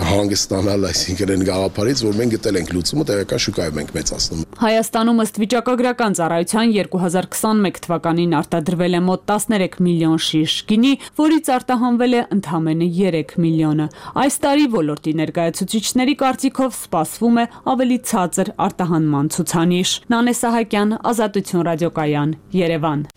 հանգստանալ, այսինքն այն գաղափարից, որ մենք գտել ենք լուծումը, տեղական շուկայում ենք մեծացնում։ Հայաստանում ըստ վիճակագրական ծառայության 2021 թվականին արտադրվել է մոտ 13 միլիոն շիշ գինի, որից արտահանվել է ընդամենը 3 միլիոնը։ Այս տարի ոլորտի ներկայացուցիչների կարծիքով սպասվում է ավելի ցածր արտահանման ցուցանիշ։ Նանե Սահակյան, Ազատություն ռադիոկայան, Երևան։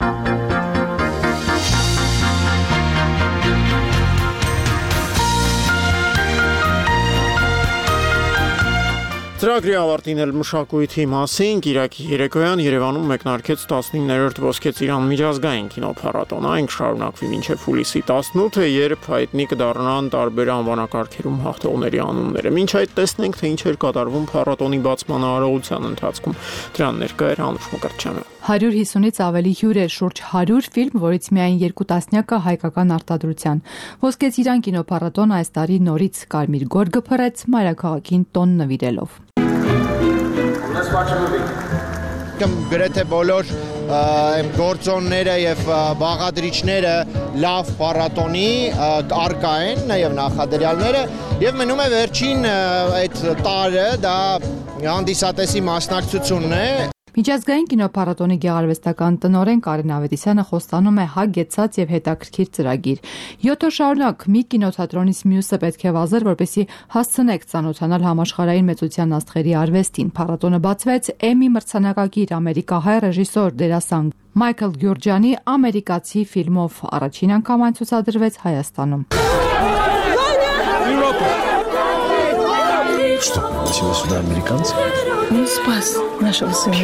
Ծրագրի ավարտին էլ մշակույթի մասին Կիրակի երեկոյան Երևանում մեկնարկեց 19-րդ Ոսկե Ծիրան միջազգային կինոփառատոնը, այն կշարունակվի մինչև հուլիսի 18-ը, երբ հայտնի կդառնան տարբեր անվանակարգերում հաղթողների անունները։ Մինչ այդ տեսնենք, թե ինչ էր կատարվում փառատոնի բացման արարողության ընթացքում։ Դրան ներկա էր Անուշ Մկրտչյանը։ 150-ից ավելի հյուր է, շուրջ 100 ֆիլմ, որից միայն 2 տասնյակը հայկական արտադրության։ Ոսկե Ծիրան կինոփառատոնը այս տարի նորից կարմիր գորգը փռեց մայրաքաղաքին տոն նվիրելով։ Գրեթե բոլոր գործոնները եւ բաղադրիչները լավ փառատոնի արկա են, նաեւ նախադրյալները, եւ մնում է վերջին այդ տարը դա հանդիսատեսի մասնակցությունն է։ Միջազգային կինոփառատոնի գեղարվեստական տնօրեն Կարեն Ավետիսյանը խոստանում է հագեցած եւ հետաքրքիր ծրագիր։ 7 օր շարունակ մի կինոթատրոնից մյուսը պետք է վազեր, որպեսզի հասցնեք ծանոթանալ համաշխարհային մեծության աստղերի արվեստին։ Փառատոնը բացվեց Էմի մրցանակակիր ամերիկահայ ռեժիսոր դերասան Մայքլ Գյուրջյանի ամերիկացի ֆիլմով առաջին անգամ այն ցուցադրվեց Հայաստանում։ Что, пригласила сюда американцев? Не спас нашего сына.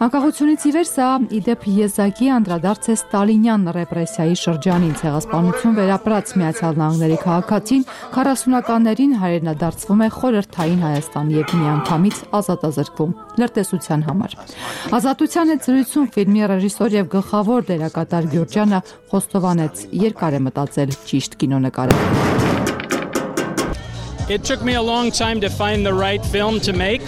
Անկախությունից ի վեր սա իդեպ եզակի անդրադարձ է ստալինյան ռեպրեսիայի շրջանին, ցեղասպանություն վերապրած Միացյալ Նահանգների քաղաքացին 40-ականներին հայրենադարձվում է խորհրդային Հայաստան եւ միանգամից ազատազրկվում լրտեսության համար։ Ազատության հետ զրույցում ֆիլմի ռեժիսոր եւ գլխավոր դերակատար Գյուրջյանը խոստովանեց, երկար է մտածել ճիշտ կինո նկարել։ It took me a long time to find the right film to make.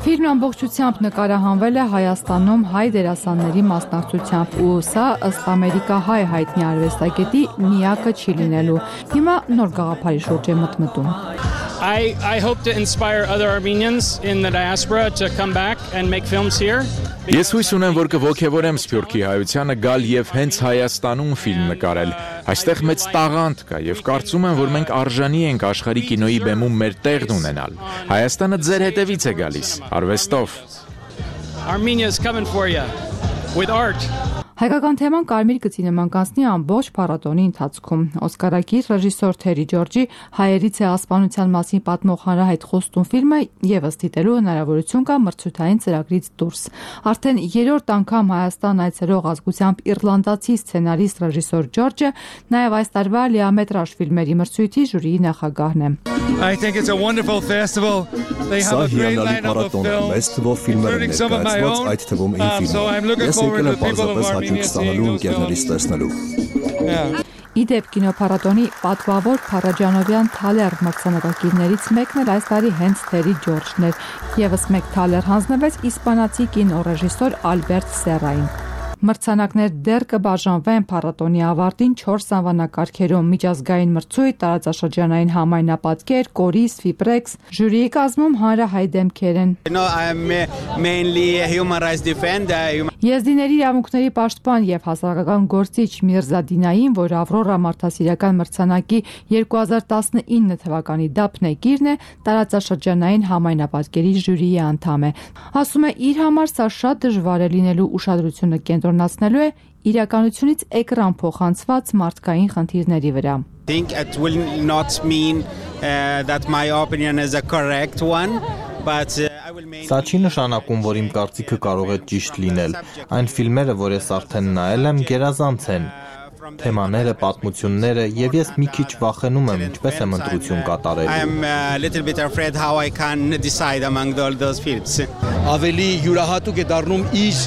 Ֆիլմն ամբողջությամբ նկարահանվել է Հայաստանում հայ դերասանների մասնակցությամբ ու սա ըստ ամերիկահայ հայտնի արվեստագետի միակը չի լինելու։ Հիմա նոր գաղափարի շուրջ է մտմտում։ I hope to inspire other Armenians in the diaspora to come back and make films here. Ես հույս ունեմ, որ կողոքևորեմ Սփյուռքի հայությանը գալ եւ հենց Հայաստանում ֆիլմ նկարել։ Այստեղ մեծ տաղանդ կա եւ կարծում եմ, որ մենք արժանի ենք աշխարհի կինոյի բեմում մեր տեղն ունենալ։ Հայաստանը ձեր հետևից է գալիս, արվեստով։ Armenia is coming for you with art. Հայկական թեման կարմիր գծի նման կանցնի ամբողջ փառատոնի ընթացքում։ Օսկարակիր ռեժիսոր Թերի Ջորջի հայերի ցեղասպանության մասին պատմող հանրահայտ խոստում ֆիլմը եւս դիտելու հնարավորություն կա մրցութային ծրագրից դուրս։ Արդեն 3-րդ անգամ Հայաստան այցելող ազգությամբ իռլանդացի սցենարիստ ռեժիսոր Ջորջը նաեւ այս տարվա լիամետրաժ ֆիլմերի մրցույթի ժյուրիի նախագահն է։ I think it's a wonderful festival. They have a great lineup of films, including some of my own. So I'm looking forward to the people of Armenia seeing those films. Իդեպ կինոփառատոնի պատվավոր Փարաջանովյան Թալեր մրցանակակիրներից մեկն էլ այս տարի հենց Թերի Ջորջն էր։ Եվս մեկ Թալեր հանձնվեց իսպանացի կինոռեժիսոր Ալբերտ Սերային։ Մրցանակներ դեռ կբաժանվեն փառատոնի ավարտին 4 անվանակարգերում՝ միջազգային մրցույթ, տարածաշրջանային համայնապատկեր, կորիս, ֆիբրեքս, ժյուրիի կազմում հանրահայտ դեմքեր են։ Եզդիների իրավունքների պաշտպան եւ հասարակական գործիչ Միրզադինային, որ Ավրորա մարդասիրական մրցանակի 2019 թվականի դափնեկիրն է, տարածաշրջանային համայնապատկերի ժյուրիի անդամ է։ Ասում է, իր համար սա շատ դժվար է լինելու ուշադրությունը կենտրոնացնելու է իրականությունից էկրան փոխանցված մարդկային խնդիրների վրա։ Think it will not mean that my opinion is a correct one, but Սա չի նշանակում, որ իմ կարծիքը կարող է ճիշտ լինել։ Այն ֆիլմերը, որ ես արդեն նայել եմ, գերազանց են։ Թեմաները, պատմությունները, եւ ես մի քիչ վախենում եմ, ինչպես եմ ընտրություն կատարելու։ I'm a little bit afraid how I can decide among all those films. Ավելի յուրահատուկ է դառնում իր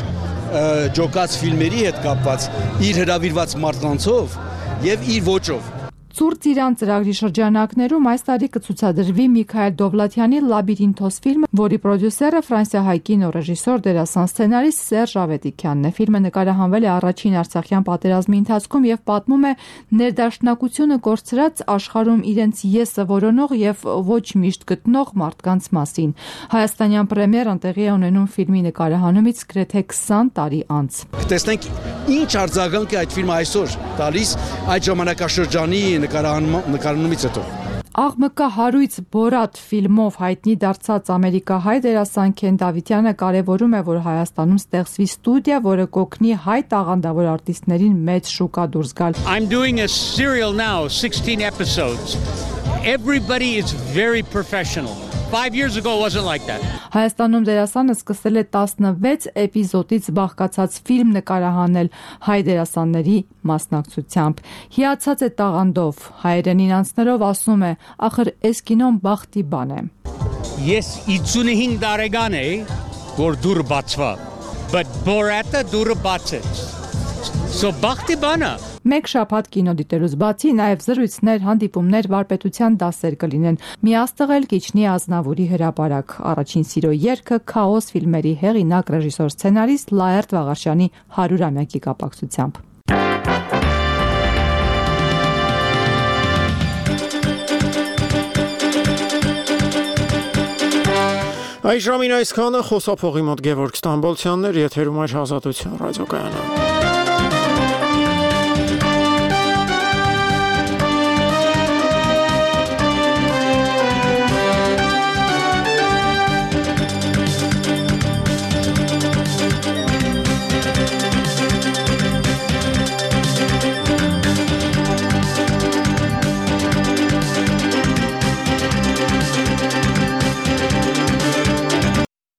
ջոկած ֆիլմերի հետ կապված, իր հրավիրված մարդկանցով եւ իր ոճով։ Ցուրտ Իրան ծրագրի շրջանակներում այս տարի կցուցադրվի Միքայել Դովլաթյանի Լաբիրինթոս ֆիլմը, որի պրոդյուսերը ֆրանսիահայ կինոռեժիսոր դերասան սցենարիստ Սերժ Ավետիքյանն է։ Ֆիլմը նկարահանվել է առաջին Արցախյան պատերազմի ընթացքում եւ պատմում է ներդաշնակությունը կորցրած աշխարհում իրենց եսը որոնող եւ ոչ միշտ գտնող մարդկանց մասին։ Հայաստանյան պրեմիերան տեղի է ունենում ֆիլմի նկարահանումից գրեթե 20 տարի անց։ Տեսնենք ինչ արձագանք է այդ ֆիլմը այսօր տալիս այդ ժամանակաշրջանի նկարահանումից հետո։ Աղմկա հարույց Բորատ ֆիլմով հայտնի դարձած ամերիկահայ դերասան Քեն Դավիթյանը կարևորում է, որ Հայաստանում ստեղծվի ստուդիա, որը կօգնի հայ տաղանդավոր արտիստներին մեծ շուկա դուրս գալ։ I'm doing a serial now, 16 episodes. Everybody is very professional. 5 years ago it wasn't like that. Հայաստանում դերասանը սկսել է 16 էպիզոդից բաղկացած ֆիլմ նկարահանել հայ դերասանների մասնակցությամբ։ Հիացած է տաղանդով, հայերենին անցնելով ասում է, ախր էս կինոն բախտի բան է։ Ես 55 տարեկան էի, որ դուռը բացվա, but Borat-ը դուռը բացեց։ So բախտի բան է։ Մեկ շաբաթ կինո դիտելուց բացի նաև զրույցներ, հանդիպումներ, վարպետության դասեր կլինեն։ Միաստղել Կիչնի Ազնավուրի հրապարակ։ Առաջին սիրո երգը Քաոս ֆիլմերի հեղինակ ռեժիսոր սցենարիստ Լաերտ Վաղարշյանի 100-ամյակի կապակցությամբ։ Այժմին այսքանը խոսափողի մոտ Գևորգ Ստամբոլցյանն էր, եթերում այժմ Ազատություն ռադիոկայանը։